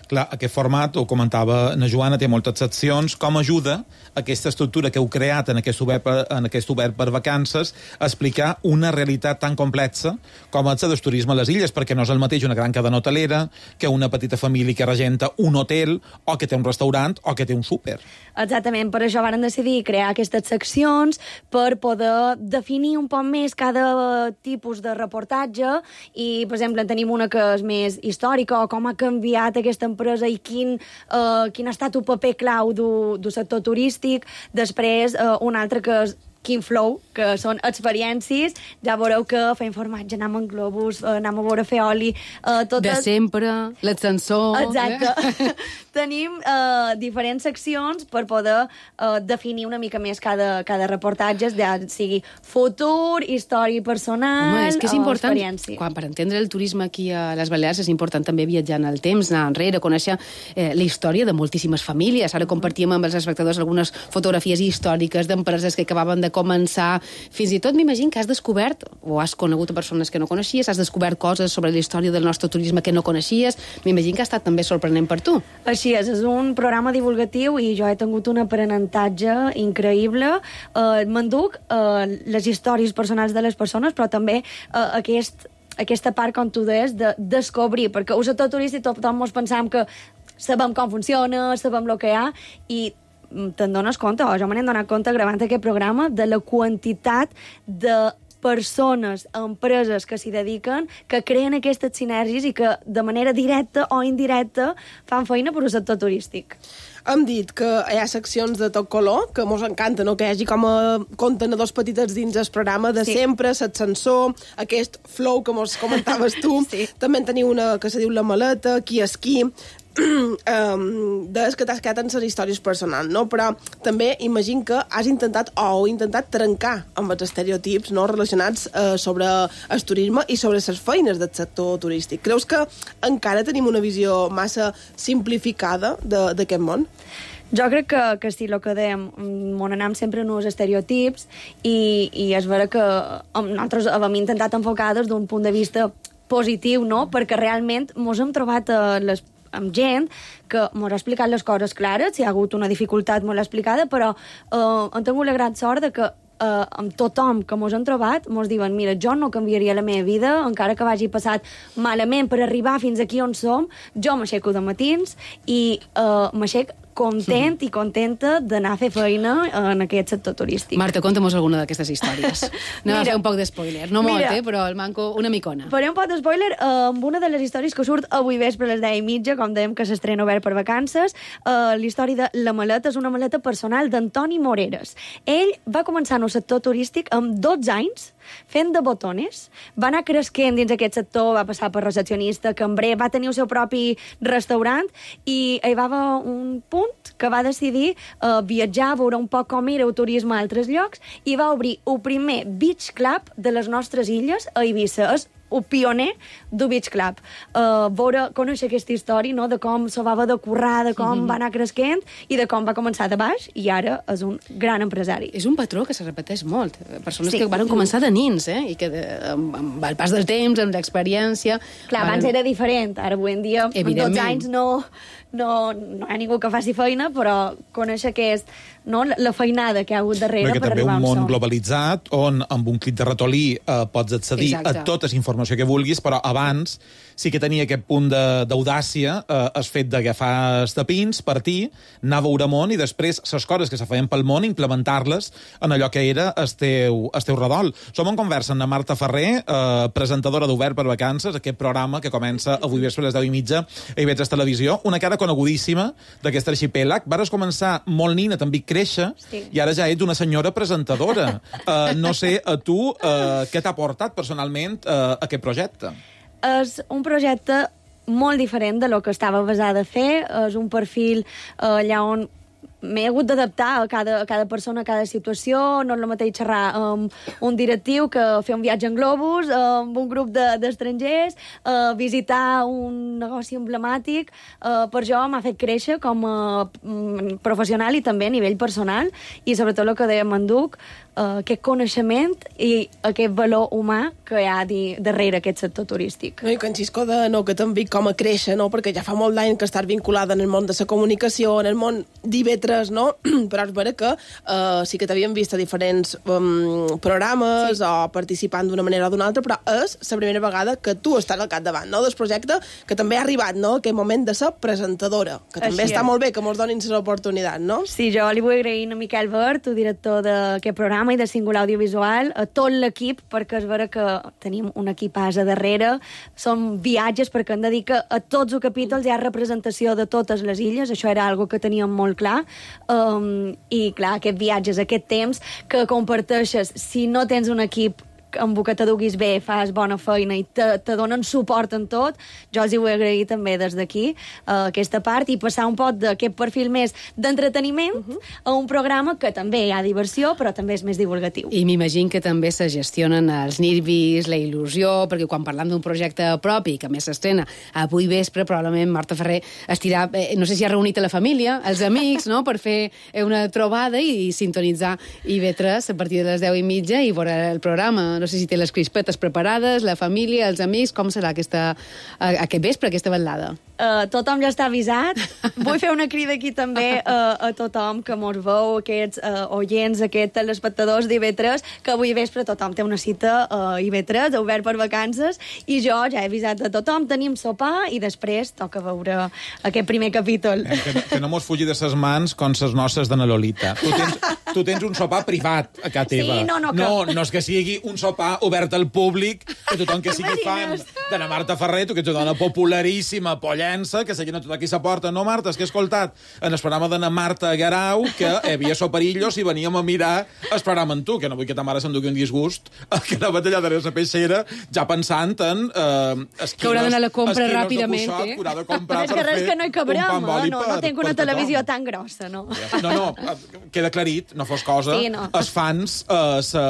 Clar, aquest format, ho comentava na Joana, té moltes seccions. Com ajuda aquesta estructura que heu creat en aquest obert per, en aquest obert per vacances a explicar una realitat tan complexa com és el turisme a les illes? Perquè no és el mateix una gran cadena hotelera que una petita família que regenta un hotel o que té un restaurant o que té un súper. Exactament, per això varen decidir crear aquestes seccions per poder definir un poc més cada tipus de reportatge i, per exemple, tenim una que és més històrica o com ha canviat aquesta empresa i quin, uh, quin ha estat el paper clau del sector turístic. Després, uh, un altre que és Quin Flow, que són experiències. Ja veureu que fem formatge, anem en globus, anem a veure fer oli. Uh, totes... De sempre, l'ascensor... Exacte. Eh? Tenim uh, diferents seccions per poder uh, definir una mica més cada, cada reportatge, ja sigui futur, història personal, Home, és que és important, experiència. Quan per entendre el turisme aquí a les Balears és important també viatjar en el temps, anar enrere, conèixer eh, la història de moltíssimes famílies. Ara compartíem amb els espectadors algunes fotografies històriques d'empreses que acabaven de començar. Fins i tot m'imagino que has descobert, o has conegut a persones que no coneixies, has descobert coses sobre la història del nostre turisme que no coneixies. M'imagino que ha estat també sorprenent per tu. Així és, és un programa divulgatiu i jo he tingut un aprenentatge increïble. Uh, M'enduc uh, les històries personals de les persones, però també uh, aquest aquesta part, com tu deies, de descobrir, perquè al sector turístic tothom ens pensam que sabem com funciona, sabem el que hi ha, i te'n dones compte, o jo me n'he donat compte gravant aquest programa, de la quantitat de persones, empreses que s'hi dediquen, que creen aquestes sinergies i que de manera directa o indirecta fan feina per al sector turístic. Hem dit que hi ha seccions de tot color, que mos encanta, no? Que hi hagi com a contenedors petitets dins el programa de sí. sempre, l'ascensor, aquest flow que mos comentaves tu. Sí. També en teniu una que se diu La Maleta, Qui és qui, um, des que t'has quedat en les històries personals, no? Però també imagino que has intentat o heu intentat trencar amb els estereotips, no? Relacionats uh, sobre el turisme i sobre les feines del sector turístic. Creus que encara tenim una visió massa simplificada d'aquest món? Jo crec que, que sí, el que dèiem, on anem sempre en els estereotips i, i és vera que nosaltres hem intentat enfocar des d'un punt de vista positiu, no? Perquè realment mos hem trobat a les amb gent que m'ha explicat les coses clares, si hi ha hagut una dificultat molt explicada, però eh, hem tingut la gran sort de que eh, amb tothom que mos han trobat mos diuen, mira, jo no canviaria la meva vida, encara que vagi passat malament per arribar fins aquí on som, jo m'aixeco de matins i eh, m'aixec content i contenta d'anar a fer feina en aquest sector turístic. Marta, conta'm alguna d'aquestes històries. Anem a fer un poc d'espoiler. No molt, eh, però el manco una micona. Faré un poc d'espoiler eh, amb una de les històries que surt avui vespre a les deu i mitja, com dèiem que s'estrena Obert per Vacances. Eh, la història de La Maleta és una maleta personal d'Antoni Moreres. Ell va començar en el sector turístic amb dotze anys, fent de botones, va anar cresquent dins aquest sector, va passar per recepcionista, cambrer, va tenir el seu propi restaurant i hi va haver un punt que va decidir uh, viatjar, veure un poc com era el turisme a altres llocs i va obrir el primer beach club de les nostres illes a Eivissa. És el pioner del Beach Club. Uh, veure, conèixer aquesta història, no?, de com se va haver de currar, de com mm-hmm. va anar cresquent i de com va començar de baix i ara és un gran empresari. És un patró que se repeteix molt. Persones sí. que van començar de nins, eh? I que de, amb, amb el pas del temps, amb l'experiència... Clar, van... abans era diferent. Ara avui en dia, amb dotze anys, no, no, no hi ha ningú que faci feina, però conèixer que és no, la feinada que hi ha hagut darrere Perquè per arribar on som. també un món globalitzat on amb un clic de ratolí eh, pots accedir Exacte. a tota la informació que vulguis, però abans sí que tenia aquest punt d'audàcia, eh, el fet d'agafar els tapins, partir, anar a veure món i després les coses que se feien pel món implementar-les en allò que era el teu, el teu redol. Som en conversa amb la Marta Ferrer, eh, presentadora d'Obert per Vacances, aquest programa que comença avui vespre a les deu i mitja a I V tres Televisió, una cara persona conegudíssima d'aquest arxipèlag. Vares començar molt nina, també créixer, Sí. i ara ja ets una senyora presentadora. Uh, no sé, a tu, uh, què t'ha portat personalment uh, aquest projecte? És un projecte molt diferent de lo que estava basada a fer. És un perfil eh, allà on m'he hagut d'adaptar a cada, a cada persona, a cada situació. No és el mateix xerrar amb un directiu que fer un viatge en globus, amb un grup de- d'estrangers, eh, visitar un negoci emblemàtic. Eh, per això m'ha fet créixer com a mm, professional i també a nivell personal, i sobretot el que deia Manduc, eh, aquest coneixement i aquest valor humà que hi ha di, darrere aquest sector turístic. No, i que en Xisco de no, que també com a créixer, no? Perquè ja fa molt d'any que estàs vinculada en el món de la comunicació, en el món d'I V tres, no? Però és vera que uh, sí que t'havien vist a diferents um, programes, sí, o participant d'una manera o d'una altra, però és la primera vegada que tu estàs al capdavant, no?, del projecte, que també ha arribat, no?, aquell moment de ser presentadora, que també Així està és. molt bé que mos donin l'oportunitat, no? Sí, jo li vull agrair a Miquel Bert, el director d'aquest programa i de Singular Audiovisual, a tot l'equip, perquè és vera que tenim un equipàs a darrere, són viatges, perquè hem de dir que a tots els capítols hi ha representació de totes les illes, això era algo que teníem molt clar, um, i clar, aquests viatges, aquest temps que comparteixes, si no tens un equip amb el que te duguis bé, fas bona feina i te, te donen suport en tot, jo els hi vull agrair també des d'aquí uh, aquesta part, i passar un poc d'aquest perfil més d'entreteniment uh -huh. a un programa que també hi ha diversió, però també és més divulgatiu. I m'imagino que també se gestionen els nervis, la il·lusió, perquè quan parlam d'un projecte propi, que a més s'estrena avui vespre, probablement Marta Ferrer estirà, eh, no sé si ha reunit a la família, els amics, no?, per fer una trobada i, i sintonitzar I V tres a partir de les deu i mitja i veure el programa. No sé si té les crispetes preparades, la família, els amics, com serà aquesta, aquest vespre, aquesta vetllada? Uh, tothom ja està avisat. Vull fer una crida aquí també uh, a tothom que mos veu, aquests uh, oients, aquests telespectadors d'I V tres, que avui vespre tothom té una cita a I V tres, obert per vacances, i jo ja he avisat a tothom, tenim sopar i després toca veure aquest primer capítol. Eh, que, que no mos fugi de ses mans com ses noces de na Lolita. Tu tens, tu tens un sopar privat a casa teva. Sí, no, no, que- no, no és que sigui un sopar obert al públic, que tothom que sigui fan de la Marta Ferrer, tu que ets una dona popularíssima, pollença, que seguint a tot aquí s'aporta. No, Marta, és que he escoltat en el programa de na Marta Garau que hi havia soperillos i veníem a mirar el programa amb tu, que no vull que ta mare s'endugui un disgust, que la batalla de la peixera, ja pensant en eh, esquinos, Que haurà d'anar a la compra esquinos ràpidament, de cuixot, eh? que haurà de comprar És que per res fer que no hi cabrem, un pa amb oli eh? no, per- no tinc per una tothom. televisió tan grossa, no. No, no, queda aclarit, no fos cosa, Sí, no. els fans eh, se,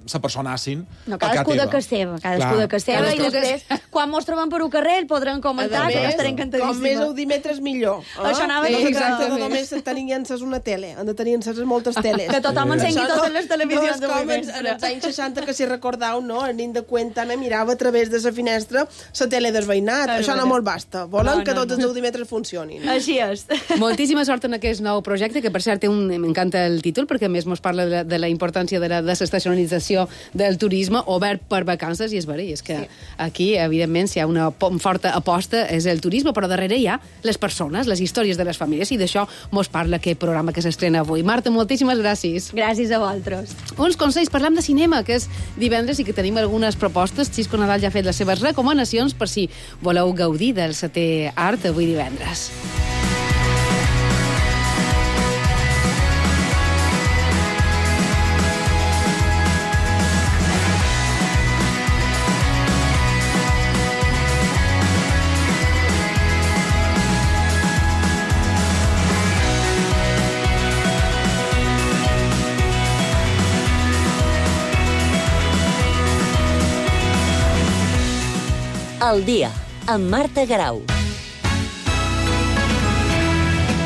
se personassin No, a casa cadascú de teva. casa seva, cadascú Clar. de casa seva, i Cadascú de després, quan mos trobem per un carrer, el podran comentar, que jo estaré encantadíssima. Com més audímetres, millor. Eh? Això anava a Sí, dir que- exacte, no només tenir encès una tele, han de tenir encès moltes teles. Que tothom encengui Això totes les televisions no és com d'avui en, en els anys seixanta, que si recordeu, no? El nin de Cuenta me mirava a través de la finestra la tele del veïnat. És Això no veritat. molt basta. Volen No, que no, tots no. els audímetres funcionin. Així és. Moltíssima sort en aquest nou projecte, que per cert té un... m'encanta el títol, perquè a més mos parla de la, de la importància de la desestacionalització del turisme obert per vacances, i és vera, i és que sí. Aquí, evidentment, si hi ha una po- forta aposta és el turisme, però darrere hi ha les persones, les històries de les famílies, i d'això mos parla aquest programa que s'estrena avui. Marta, moltíssimes gràcies. Gràcies a vosaltres. Uns consells, parlam de cinema, que és divendres i que tenim algunes propostes. Xisco Nadal ja ha fet les seves recomanacions per si voleu gaudir del setè art avui divendres. El dia, amb Marta Garau.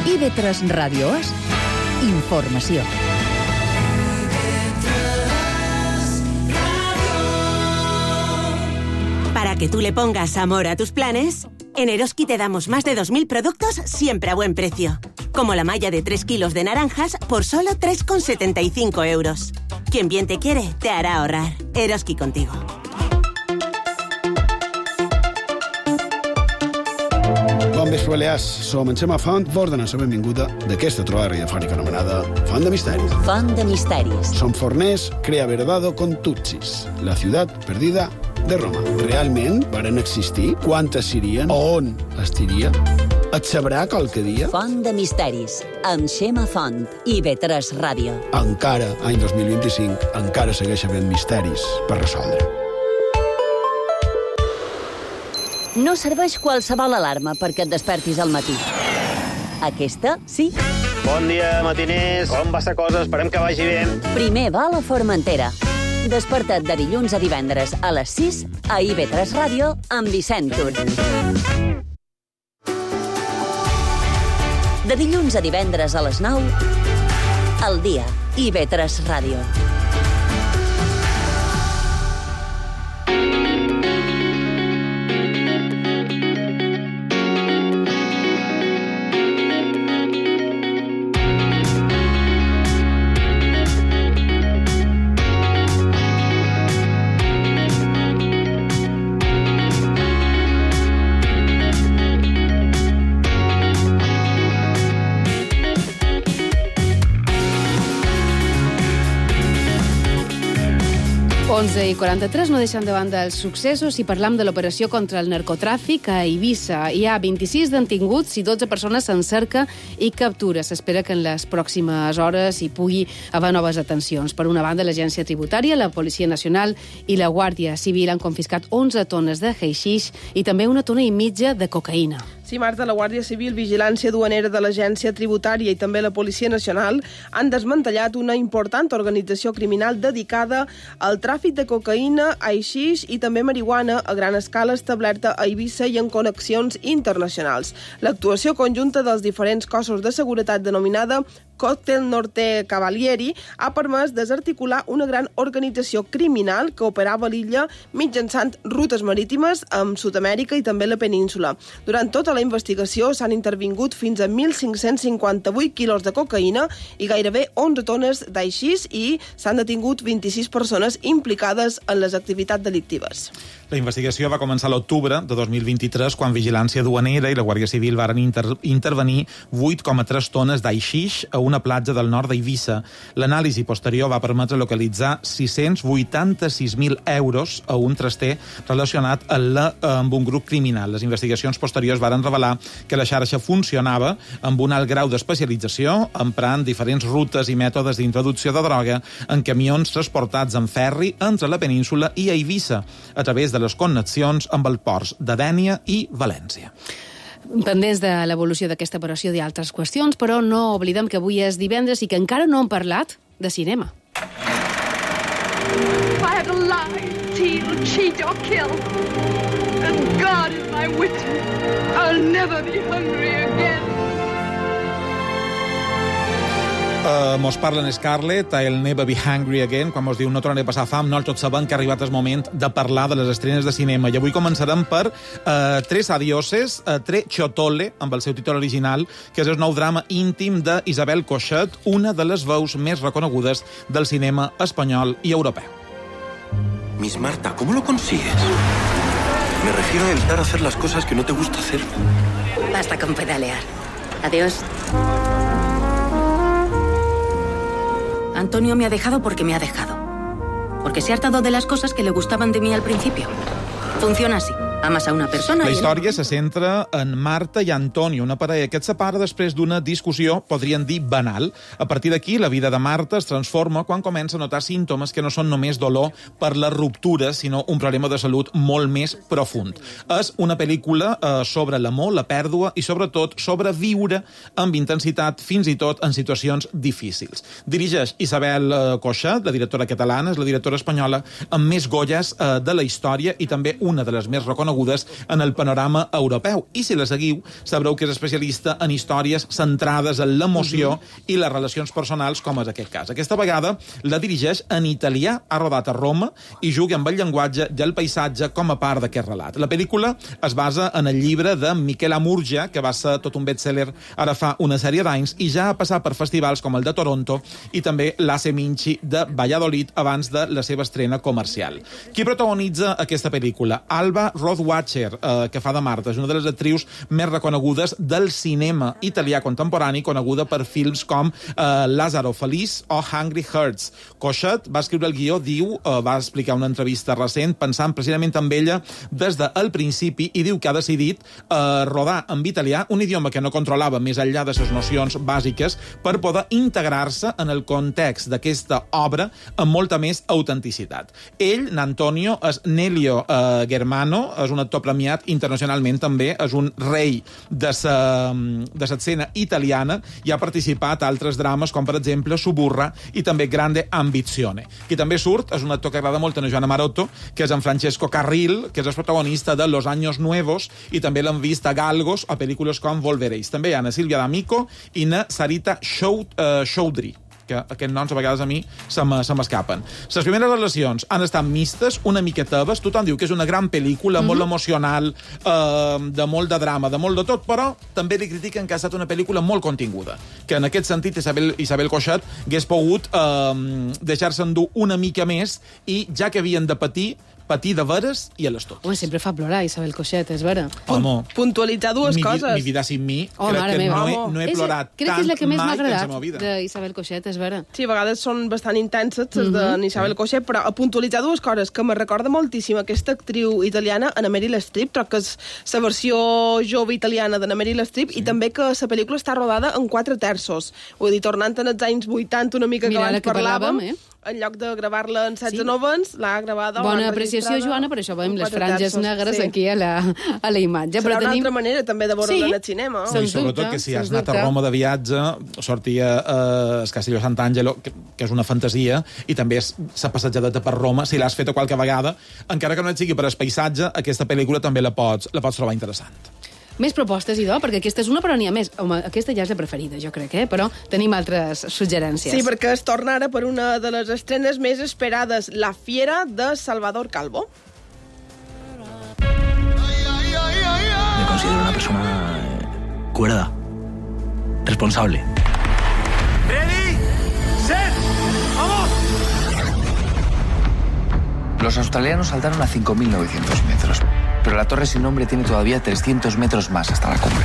I V tres Ràdio És informació. Para que tú le pongas amor a tus planes, en Eroski te damos más de dos mil productos siempre a buen precio. Como la malla de tres kilos de naranjas por solo tres con setenta y cinco euros. Quien bien te quiere, te hará ahorrar. Eroski contigo. Bon vespre, Balears. Som en Xema Font, vos donem la benvinguda d'aquesta trobada radiofònica anomenada Font de Misteris. Font de Misteris. Som forners, crea verdado con Tutsis, la ciutat perdida de Roma. Realment varen existir? Quantes serien? On estiria? Et sabrà qualque dia? Font de misteris, amb Xema Font i B tres Ràdio. Encara, any dos mil vint-i-cinc, encara segueix havent misteris per resoldre. No serveix qualsevol alarma perquè et despertis al matí. Aquesta, sí. Bon dia, matiners. Com va la cosa? Esperem que vagi bé. Primer va a la Formentera. Desperta't de dilluns a divendres a les sis a I B tres Ràdio amb Vicent Tur. De dilluns a divendres a les nou, al dia, I B tres Ràdio. onze i quaranta-tres, no deixant de banda els successos i parlam de l'operació contra el narcotràfic a Eivissa. Hi ha vint-i-sis detinguts i dotze persones en cerca i captura. S'espera que en les pròximes hores hi pugui haver noves atencions. Per una banda, l'Agència Tributària, la Policia Nacional i la Guàrdia Civil han confiscat onze tones de haixix i també una tona i mitja de cocaïna. Sí, Marta, la Guàrdia Civil, Vigilància Duanera de l'Agència Tributària i també la Policia Nacional han desmantellat una important organització criminal dedicada al tràfic de cocaïna, haixix i també marihuana a gran escala establerta a Eivissa i en connexions internacionals. L'actuació conjunta dels diferents cossos de seguretat denominada Còctel Norte Cavalieri ha permès desarticular una gran organització criminal que operava a l'illa mitjançant rutes marítimes amb Sud-amèrica i també la península. Durant tota la investigació s'han intervingut fins a mil cinc-cents cinquanta-vuit quilos de cocaïna i gairebé onze tones d'aixís i s'han detingut vint-i-sis persones implicades en les activitats delictives. La investigació va començar a l'octubre de dos mil vint-i-tres quan Vigilància Duanera i la Guàrdia Civil varen inter intervenir vuit coma tres tones d'aixix a una platja del nord d'Eivissa. L'anàlisi posterior va permetre localitzar sis-cents vuitanta-sis mil euros a un traster relacionat amb, la, amb un grup criminal. Les investigacions posteriors varen revelar que la xarxa funcionava amb un alt grau d'especialització, emprant diferents rutes i mètodes d'introducció de droga en camions transportats en ferri entre la península i Eivissa, a través de les connexions amb els ports de Dénia i València. Pendents de l'evolució d'aquesta operació i altres qüestions, però no oblidem que avui és divendres i que encara no hem parlat de cinema. If I had to lie, steal, cheat or kill, and God is my witness, I'll never be hungry again. Uh, mos parlen Scarlett, I'll never be hungry again, quan mos diu no tornaré a passar fam, no tots sabem que ha arribat el moment de parlar de les estrenes de cinema. I avui començarem per uh, Tres adioses, uh, Tre Ciotole, amb el seu títol original, que és el nou drama íntim d'Isabel Coixet, una de les veus més reconegudes del cinema espanyol i europeu. Miss Marta, ¿cómo lo consigues? Me refiero a evitar hacer las cosas que no te gusta hacer. Basta con pedalear. Adiós. Antonio me ha dejado porque me ha dejado. Porque se ha hartado de las cosas que le gustaban de mí al principio. Funciona así. Amas a una persona... La i història se centra en Marta i Antonio, una parella que et separa després d'una discussió, podríem dir, banal. A partir d'aquí, la vida de Marta es transforma quan comença a notar símptomes que no són només dolor per la ruptura, sinó un problema de salut molt més profund. És una pel·lícula eh, sobre l'amor, la pèrdua i, sobretot, sobre viure amb intensitat, fins i tot en situacions difícils. Dirigeix Isabel eh, Coixet, la directora catalana, és la directora espanyola amb més Goyas eh, de la història i també una de les més reconegudes en el panorama europeu. I si la seguiu, sabreu que és especialista en històries centrades en l'emoció mm-hmm. i les relacions personals, com és aquest cas. Aquesta vegada la dirigeix en italià, ha rodat a Roma i juga amb el llenguatge i el paisatge com a part d'aquest relat. La pel·lícula es basa en el llibre de Michela Murgia, que va ser tot un best-seller ara fa una sèrie d'anys i ja ha passat per festivals com el de Toronto i també l'A C Minci de Valladolid abans de la seva estrena comercial. Qui protagonitza aquesta pel·lícula? Alba Rodríguez Rod Watcher, eh, que fa de Marta, és una de les actrius més reconegudes del cinema italià contemporani, coneguda per films com eh, Lázaro Feliç o Hungry Hearts. Coixet va escriure el guió, diu, eh, va explicar una entrevista recent, pensant precisament amb ella des del principi, i diu que ha decidit eh, rodar en italià, un idioma que no controlava més enllà de les nocions bàsiques, per poder integrar-se en el context d'aquesta obra amb molta més autenticitat. Ell, N'Antonio, és Nelio eh, Germano, és un actor premiat internacionalment també, és un rei de l'escena italiana i ha participat a altres drames com, per exemple, Suburra i també Grande Ambizione. Qui també surt és un actor que agrada molt a Joana Marotto, que és en Francesco Carril, que és el protagonista de Los Años Nuevos, i també l'hem vist a Galgos a pel·lícules com Volveréis. També hi ha na Sílvia D'Amico i na Sarita Choudhury, que aquests noms a vegades a mi se m'escapen. Les primeres relacions han estat mistes, una mica teves, tothom diu que és una gran pel·lícula, mm-hmm. molt emocional, eh, de molt de drama, de molt de tot, però també li critiquen que ha estat una pel·lícula molt continguda, que en aquest sentit Isabel, Isabel Coixet hagués pogut eh, deixar-se endur una mica més i ja que havien de patir, patir de veres i a l'estot. Home, sempre fa plorar Isabel Coixet, és vera. Home, puntualitzar dues mi, coses. Mi vida sin mi, oh, crec que meva. no he, no he és, plorat crec tant que és la que més m'ha mai agradat en la vida. d'Isabel Coixet, és vera. Sí, a vegades són bastant intenses, les mm-hmm. d'Isabel sí. Coixet, però a puntualitzar dues coses, que me recorda moltíssim aquesta actriu italiana, Anna Meryl Streep, crec que és la versió jove italiana d'Anna Meryl Streep, sí. i també que la pel·lícula està rodada en quatre terços. Vull dir, tornant en els anys vuitanta, una mica que Mira, abans que parlàvem, parlàvem eh? en lloc de gravar-la en setze novens, l'ha gravada... Bona apreciació, Joana, per això veiem les franges terços, negres sí. aquí a la, a la imatge. Serà però una tenim... altra manera també de veure-la sí. en el cinema. Sí, i sobretot que si has anat a Roma de viatge, sortia eh, el Castelló Sant'Angelo, que, que és una fantasia, i també s'ha passejat per Roma, si l'has fet qualque vegada, encara que no et sigui per el paisatge, aquesta pel·lícula també la pots, la pots trobar interessant. Més propostes, idò, perquè aquesta és una, però n'hi ha més. Home, aquesta ja és la preferida, jo crec, eh? Però tenim altres suggerències. Sí, perquè es torna ara per una de les estrenes més esperades, La Fiera, de Salvador Calvo. Me considero una persona cuerda, responsable. ¡Ready! ¡Set! ¡Vamos! Los australianos saltaron a cinco mil novecientos metros, pero la torre sin nombre tiene todavía trescientos metros más hasta la cumbre.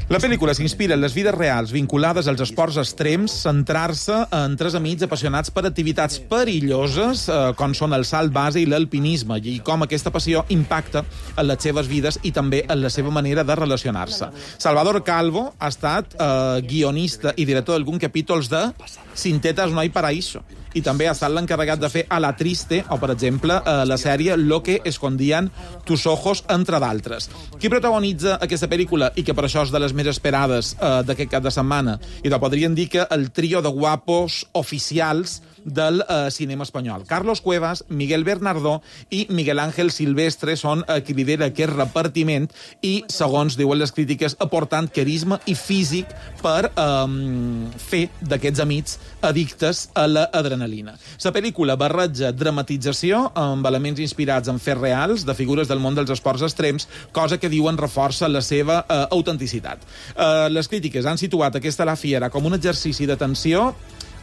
La pel·lícula s'inspira en les vides reals vinculades als esports extrems, centrar-se en tres amics apassionats per activitats perilloses, eh, com són el salt base i l'alpinisme, i com aquesta passió impacta en les seves vides i també en la seva manera de relacionar-se. Salvador Calvo ha estat eh, guionista i director d'alguns capítols de Sin tetas no hay paraíso, i també ha estat l'encarregat de fer A la triste, o, per exemple, eh, la sèrie Lo que escondían tus ojos, entre d'altres. Qui protagonitza aquesta pel·lícula, i que per això és de les més esperades eh, d'aquest cap de setmana, i te podrien dir que el trio de guapos oficials del eh, cinema espanyol. Carlos Cuevas, Miguel Bernardó i Miguel Ángel Silvestre són eh, qui lidera aquest repartiment i, segons diuen les crítiques, aportant carisma i físic per eh, fer d'aquests amics addictes a l'adrenalina. La pel·lícula barreja dramatització amb elements inspirats en fets reals de figures del món dels esports extrems, cosa que diuen reforça la seva eh, autenticitat. Eh, les crítiques han situat aquesta La Fiera com un exercici d'atenció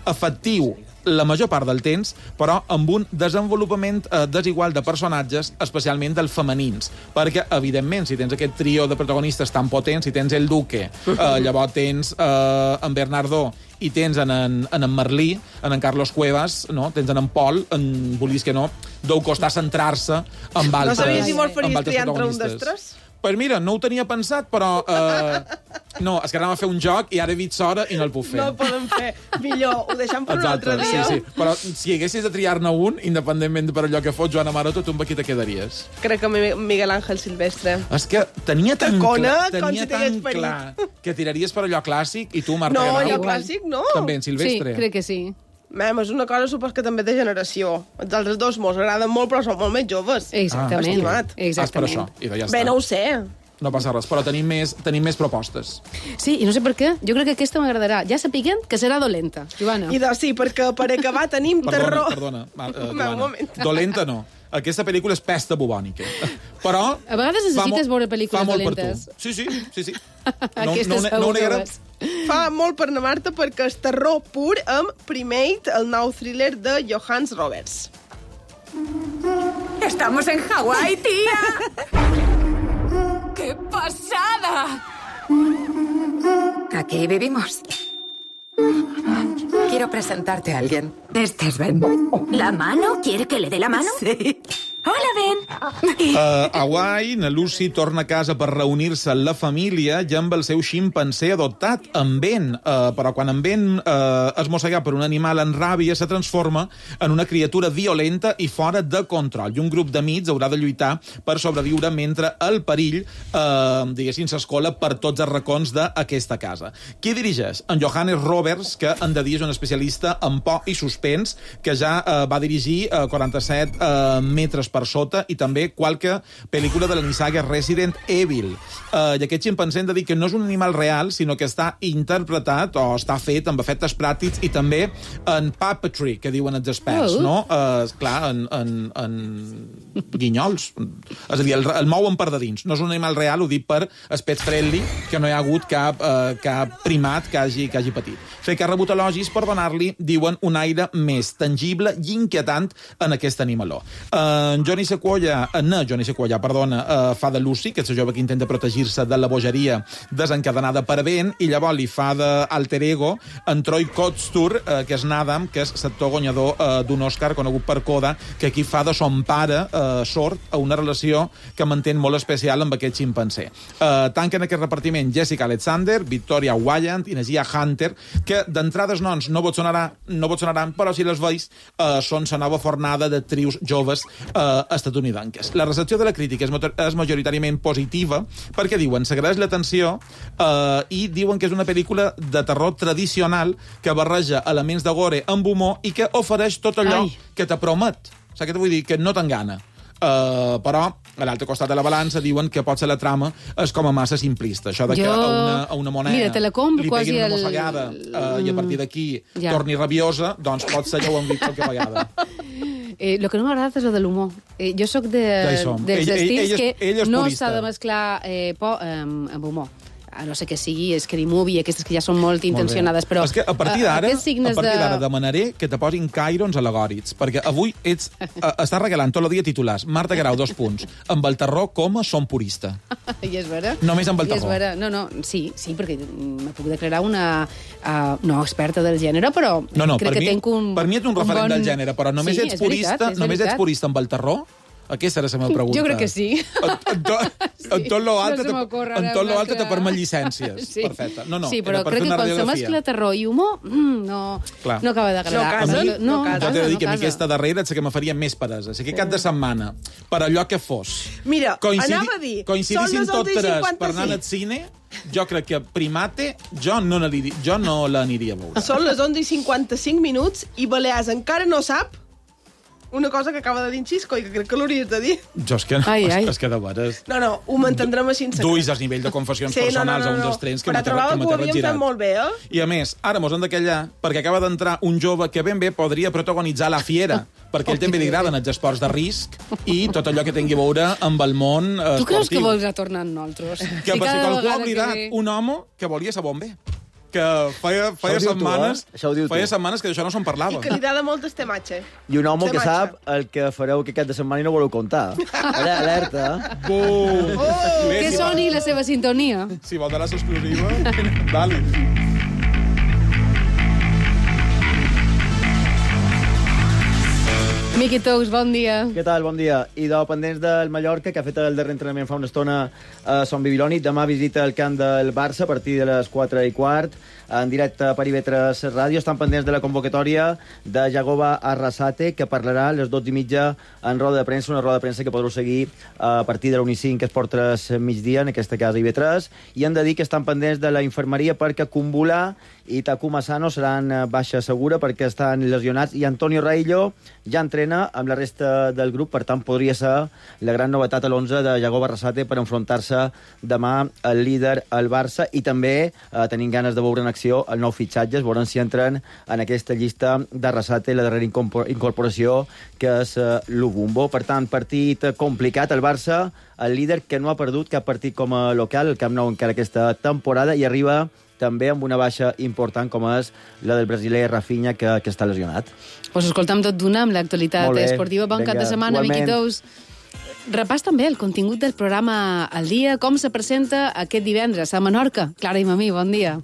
efectiu la major part del temps, però amb un desenvolupament eh, desigual de personatges, especialment dels femenins. Perquè, evidentment, si tens aquest trio de protagonistes tan potents, si tens el Duque, eh, llavors tens eh, en Bernardo i tens en en, en, en Merlí, en en Carlos Cuevas, no? Tens en en Pol, en, vulguis que no, deu costar centrar-se amb altres, no sabies si molt amb faries altres triar entre un protagonistes. dels tres? Pues mira, no ho tenia pensat, però... Eh, no, és que anàvem a fer un joc i ara he vist hora i no el puc fer. No el podem fer. Millor, ho deixem per un altre dia. Sí, sí. Però si haguessis de triar-ne un, independentment per allò que fot Joana Maroto, tu amb qui te quedaries? Crec que Miguel Ángel Silvestre. És que tenia tan, Tacona, clar, tenia si tan clar que tiraries per allò clàssic i tu, Marta No, Ganau, allò clàssic no. també en Silvestre. Sí, crec que sí. Mem, és una cosa supos que també de generació. Els altres dos mos agraden molt, però són molt més joves. Exactament. Ah, estimat. Exactament. Ah, per això. I ja Bé, està. no ho sé. No passa res, però tenim més, tenim més propostes. Sí, i no sé per què. Jo crec que aquesta m'agradarà. Ja sapiguem que serà dolenta, Joana. I de, sí, perquè per acabar tenim Perdona, terror... perdona, Ma- eh, Un Joana. moment. Dolenta no. Aquesta pel·lícula és pesta bubònica. Però... A vegades necessites veure pel·lícules fa molt dolentes. Per tu. Sí, sí, sí, sí. Aquesta no, segur no, no que negarem. ho és. Fa molt per na Marta perquè és terror pur amb Primate, el nou thriller de Johannes Roberts. Estamos en Hawái, tía. ¡Qué pasada! Aquí vivimos. Quiero presentarte a alguien. Este es Ben. ¿La mano? ¿Quiere que le dé la mano? Sí. Hola, Ben. Uh, a Hawaii, na Lucy torna a casa per reunir-se amb la família i amb el seu ximpanzé adoptat, en Ben. Uh, però quan en Ben uh, es mossega per un animal en ràbia, se transforma en una criatura violenta i fora de control. I un grup d'amics haurà de lluitar per sobreviure mentre el perill, uh, diguéssim, s'escola per tots els racons d'aquesta casa. Qui dirigeix? En Johannes Roberts, que en de dia és un especialista en por i suspens, que ja uh, va dirigir uh, quaranta-set uh, metres per sota i també qualque pel·lícula de la nissaga Resident Evil. Uh, I aquest ximpanzé hem de dir que no és un animal real, sinó que està interpretat o està fet amb efectes pràctics i també en puppetry, que diuen els experts, Oh. no? Uh, clar, en, en, en guinyols. És a dir, el, el mouen per de dins. No és un animal real, ho dic per aspect friendly, que no hi ha hagut cap, uh, cap primat que hagi, que hagi patit. Fer que ha rebut elogis per donar-li, diuen, un aire més tangible i inquietant en aquest animaló. Uh, Johnny Sequoia, uh, no, Johnny Sequoia, perdona, uh, fa de Lucy, que és el jove que intenta protegir-se de la bogeria desencadenada per Ben, i llavors li fa d'alter ego en Troy Kotsur, uh, que és Nadam, que és l'actor guanyador uh, d'un Oscar conegut per Coda, que aquí fa de son pare uh, sord a una relació que mantén molt especial amb aquest ximpanzé. Uh, tanquen aquest repartiment Jessica Alexander, Victoria Wyant i Nasia Hunter, que d'entrades noms no vos sonarà, no vos sonaran, però si les veus uh, són la nova fornada d'actrius joves uh, estatunidenques. La recepció de la crítica és, és majoritàriament positiva perquè diuen, s'agraeix l'atenció uh, i diuen que és una pel·lícula de terror tradicional que barreja elements de gore amb humor i que ofereix tot allò Ai. que te promet. Saps què t'ho vull dir? Que no t'engana. Uh, però a l'altre costat de la balança diuen que potser la trama és com a massa simplista. Això de jo... que a una, a una moneda Mira, te la compro, li peguin una el... mossegada uh, i a partir d'aquí ja. torni rabiosa, doncs potser ja ho hem vist qualque vegada. Eh, el que no m'ha agradat és el de l'humor. Eh, jo sóc de, dels ell, estils ell, ell, que ell no purista. s'ha de mesclar eh, por amb, amb humor. A no sé que sigui Scary Movie, aquestes que ja són molt intencionades, molt però... És que a partir d'ara a partir de... de... demanaré que te posin cairons alegòrics, perquè avui ets, a, estàs regalant tot el dia titulars. Marta Grau, dos punts. Amb el terror, com a som purista. I és vera. Només amb el I és terror. vera. No, no, sí, sí, perquè me puc declarar una... Uh, no experta del gènere, però no, no, crec que mi, tenc un... Per mi ets un referent bon... del gènere, però només sí, ets és purista, veritat, és només veritat. ets purista amb el terror? Aquesta era la meva pregunta. Jo crec que sí. En, en, to, sí. en tot lo altre, no te, en tot lo altre te permet llicències. Sí. Perfecte. No, no, sí, però era per crec fer que una quan se radiografia. mescla terror i humor, mm, no, Clar. no acaba d'agradar. No casa, A mi, no casa. Jo t'he de dir no que a mi casa. aquesta darrera és la que me faria més peresa. Així que cap de setmana, per allò que fos, Mira, coincidi, anava a dir, coincidissin són les tot onze i tres cinquanta-cinc. per anar al cine, jo crec que Primate jo no, jo no l'aniria a veure. Són les onze i cinquanta-cinc minuts i Balears encara no sap una cosa que acaba de dir en Xisco i que crec que l'hauries de dir. Jo és que no, Ai, és, ai. és que de veres... No, no, ho mantendrem així en secret. Duis el nivell de confessions Sí, no, no, personals no, a un no. dels trens que Però m'ha trobava que ho havíem girat. fet molt bé, eh? I a més, ara mos hem de callar perquè acaba d'entrar un jove que ben bé podria protagonitzar La Fiera, perquè ell també li agraden els esports de risc i tot allò que tingui a veure amb el món eh, Tu creus que esportiu. vols retornar amb nosaltres? Que Si per si cada qualcú ha vegada oblidat que ve- un home que volia ser bomber. Que feia, feia Això ho diu tu, setmanes, eh? Això ho diu tu. feia setmanes que d'això no se'n parlava. I que li agrada molt este matxe. I un home Este que matxa. sap el que fareu aquest cap de setmana i no voleu contar. Ara, alerta. Bum! Oh! Bé, Que si soni vol- la seva sintonia. Si vol donar l'exclusiva, dali. Miqui Tous, bon dia. Què tal? Bon dia. I de pendents del Mallorca, que ha fet el darrer entrenament fa una estona a Son Bibiloni. Demà visita el camp del Barça a partir de les quatre i quart, en directe per I V tres Ràdio. Estan pendents de la convocatòria de Jagoba Arrasate, que parlarà a les dotze i mitja en roda de premsa, una roda de premsa que podreu seguir a partir de l'una i cinc, que es porta a migdia, en aquesta casa I V tres. I han de dir que estan pendents de la infermeria perquè Kumbula i Takuma Sano seran baixa segura perquè estan lesionats, i Antonio Raillo ja entrena amb la resta del grup, per tant podria ser la gran novetat a l'onze de Jagoba Arrasate per enfrontar-se demà al líder, al Barça, i també eh, tenim ganes de veure en acció el nou fitxatges, veurem si entren en aquesta llista d'Arrasate, la darrera incorporació, que és eh, l'Ubumbo. Per tant, partit complicat, el Barça, el líder que no ha perdut cap partit com a local, el Camp Nou encara aquesta temporada, i arriba també amb una baixa important com és la del brasiler Rafinha, que, que està lesionat. Pues escolta'm tot d'una amb l'actualitat Molt bé. esportiva. Bon cap de Vinga, setmana, Miqui igualment. Tous. Repàs també el contingut del programa al dia, com se presenta aquest divendres a Menorca. Clara i Mamí, bon dia.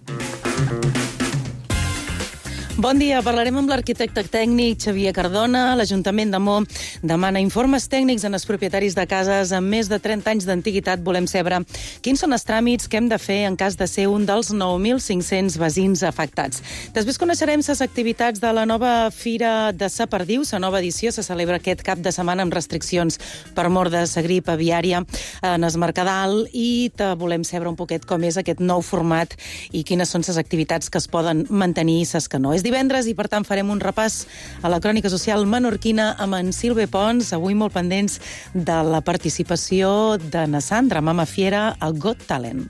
Bon dia, parlarem amb l'arquitecte tècnic Xavier Cardona. L'Ajuntament de Mo demana informes tècnics en els propietaris de cases amb més de trenta anys d'antiguitat. Volem saber quins són els tràmits que hem de fer en cas de ser un dels nou mil cinc-cents veïns afectats. Després coneixerem les activitats de la nova Fira de sa Perdiu. La nova edició se celebra aquest cap de setmana amb restriccions per mort de la grip aviària en es Mercadal, i te volem saber un poquet com és aquest nou format i quines són les activitats que es poden mantenir i les que no. És divendres i, per tant, farem un repàs a la crònica social menorquina amb en Silve Pons, avui molt pendents de la participació de na Sandra Mama Fiera al Got Talent.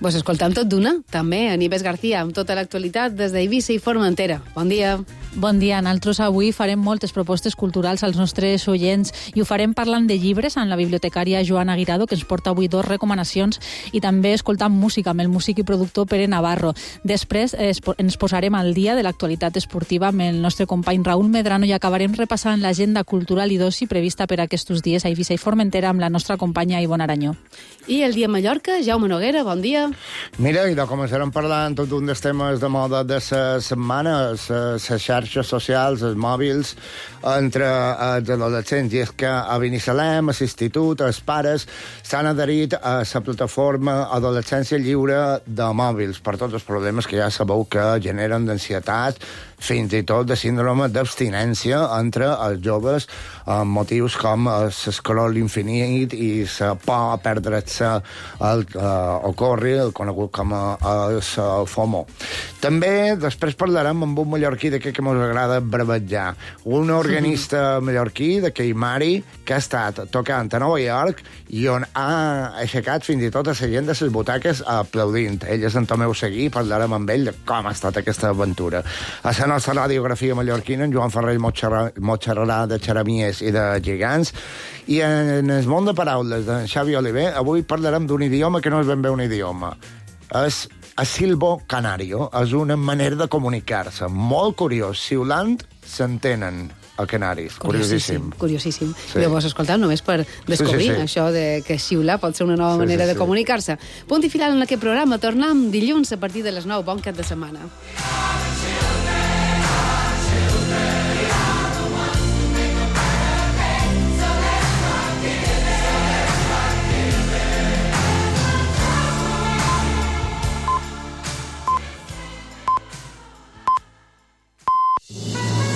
Vos escoltam tot d'una, també, en Ives García, amb tota l'actualitat des d'Eivissa i Formentera. Bon dia. Bon dia. Nosaltres avui farem moltes propostes culturals als nostres oients i ho farem parlant de llibres amb la bibliotecària Joana Guirado, que ens porta avui dos recomanacions, i també escoltant música amb el músic i productor Pere Navarro. Després eh, ens posarem al dia de l'actualitat esportiva amb el nostre company Raúl Medrano i acabarem repassant l'agenda cultural i d'oci prevista per aquests dies a Eivissa i Formentera amb la nostra companya Ivonne Aranyó. I el dia a Mallorca, Jaume Noguera, bon dia. Mira, i de començarem parlant tot un dels temes de moda de la setmana, les xarxes socials, els mòbils, entre els adolescents. I és que a Binissalem, a l'institut, els pares s'han adherit a la plataforma Adolescència Lliure de Mòbils per tots els problemes que ja sabeu que generen d'ansietat, fins i tot de síndrome d'abstinència entre els joves, amb motius com l'escroll infinit i la por a perdre-se el uh, ocorri, el conegut com a el FOMO. També després parlarem amb un mallorquí d'aquest que ens agrada brevetjar, un organista mallorquí de Keimari que ha estat tocant a Nova York i on ha aixecat fins i tot a la gent de les butaques aplaudint. Ell és en Tomeu Seguí, parlarem amb ell de com ha estat aquesta aventura. A la nostra radiografia mallorquina, en Joan Ferrer Motxarrarà de Xeramies i de Gegants, i en el món de paraules de Xavi Oliver, avui parlarem d'un idioma que no és ben bé un idioma. És a silbo canario, és una manera de comunicar-se. Molt curiós. Siulant s'entenen a Canaris. Curiosíssim. Curiosíssim. Sí. Llavors, escolteu, només per descobrir sí, sí, sí. això de que xiular pot ser una nova Sí, manera sí, de sí. comunicar-se. Punt i final en aquest programa. Tornem dilluns a partir de les nou. Bon cap de setmana.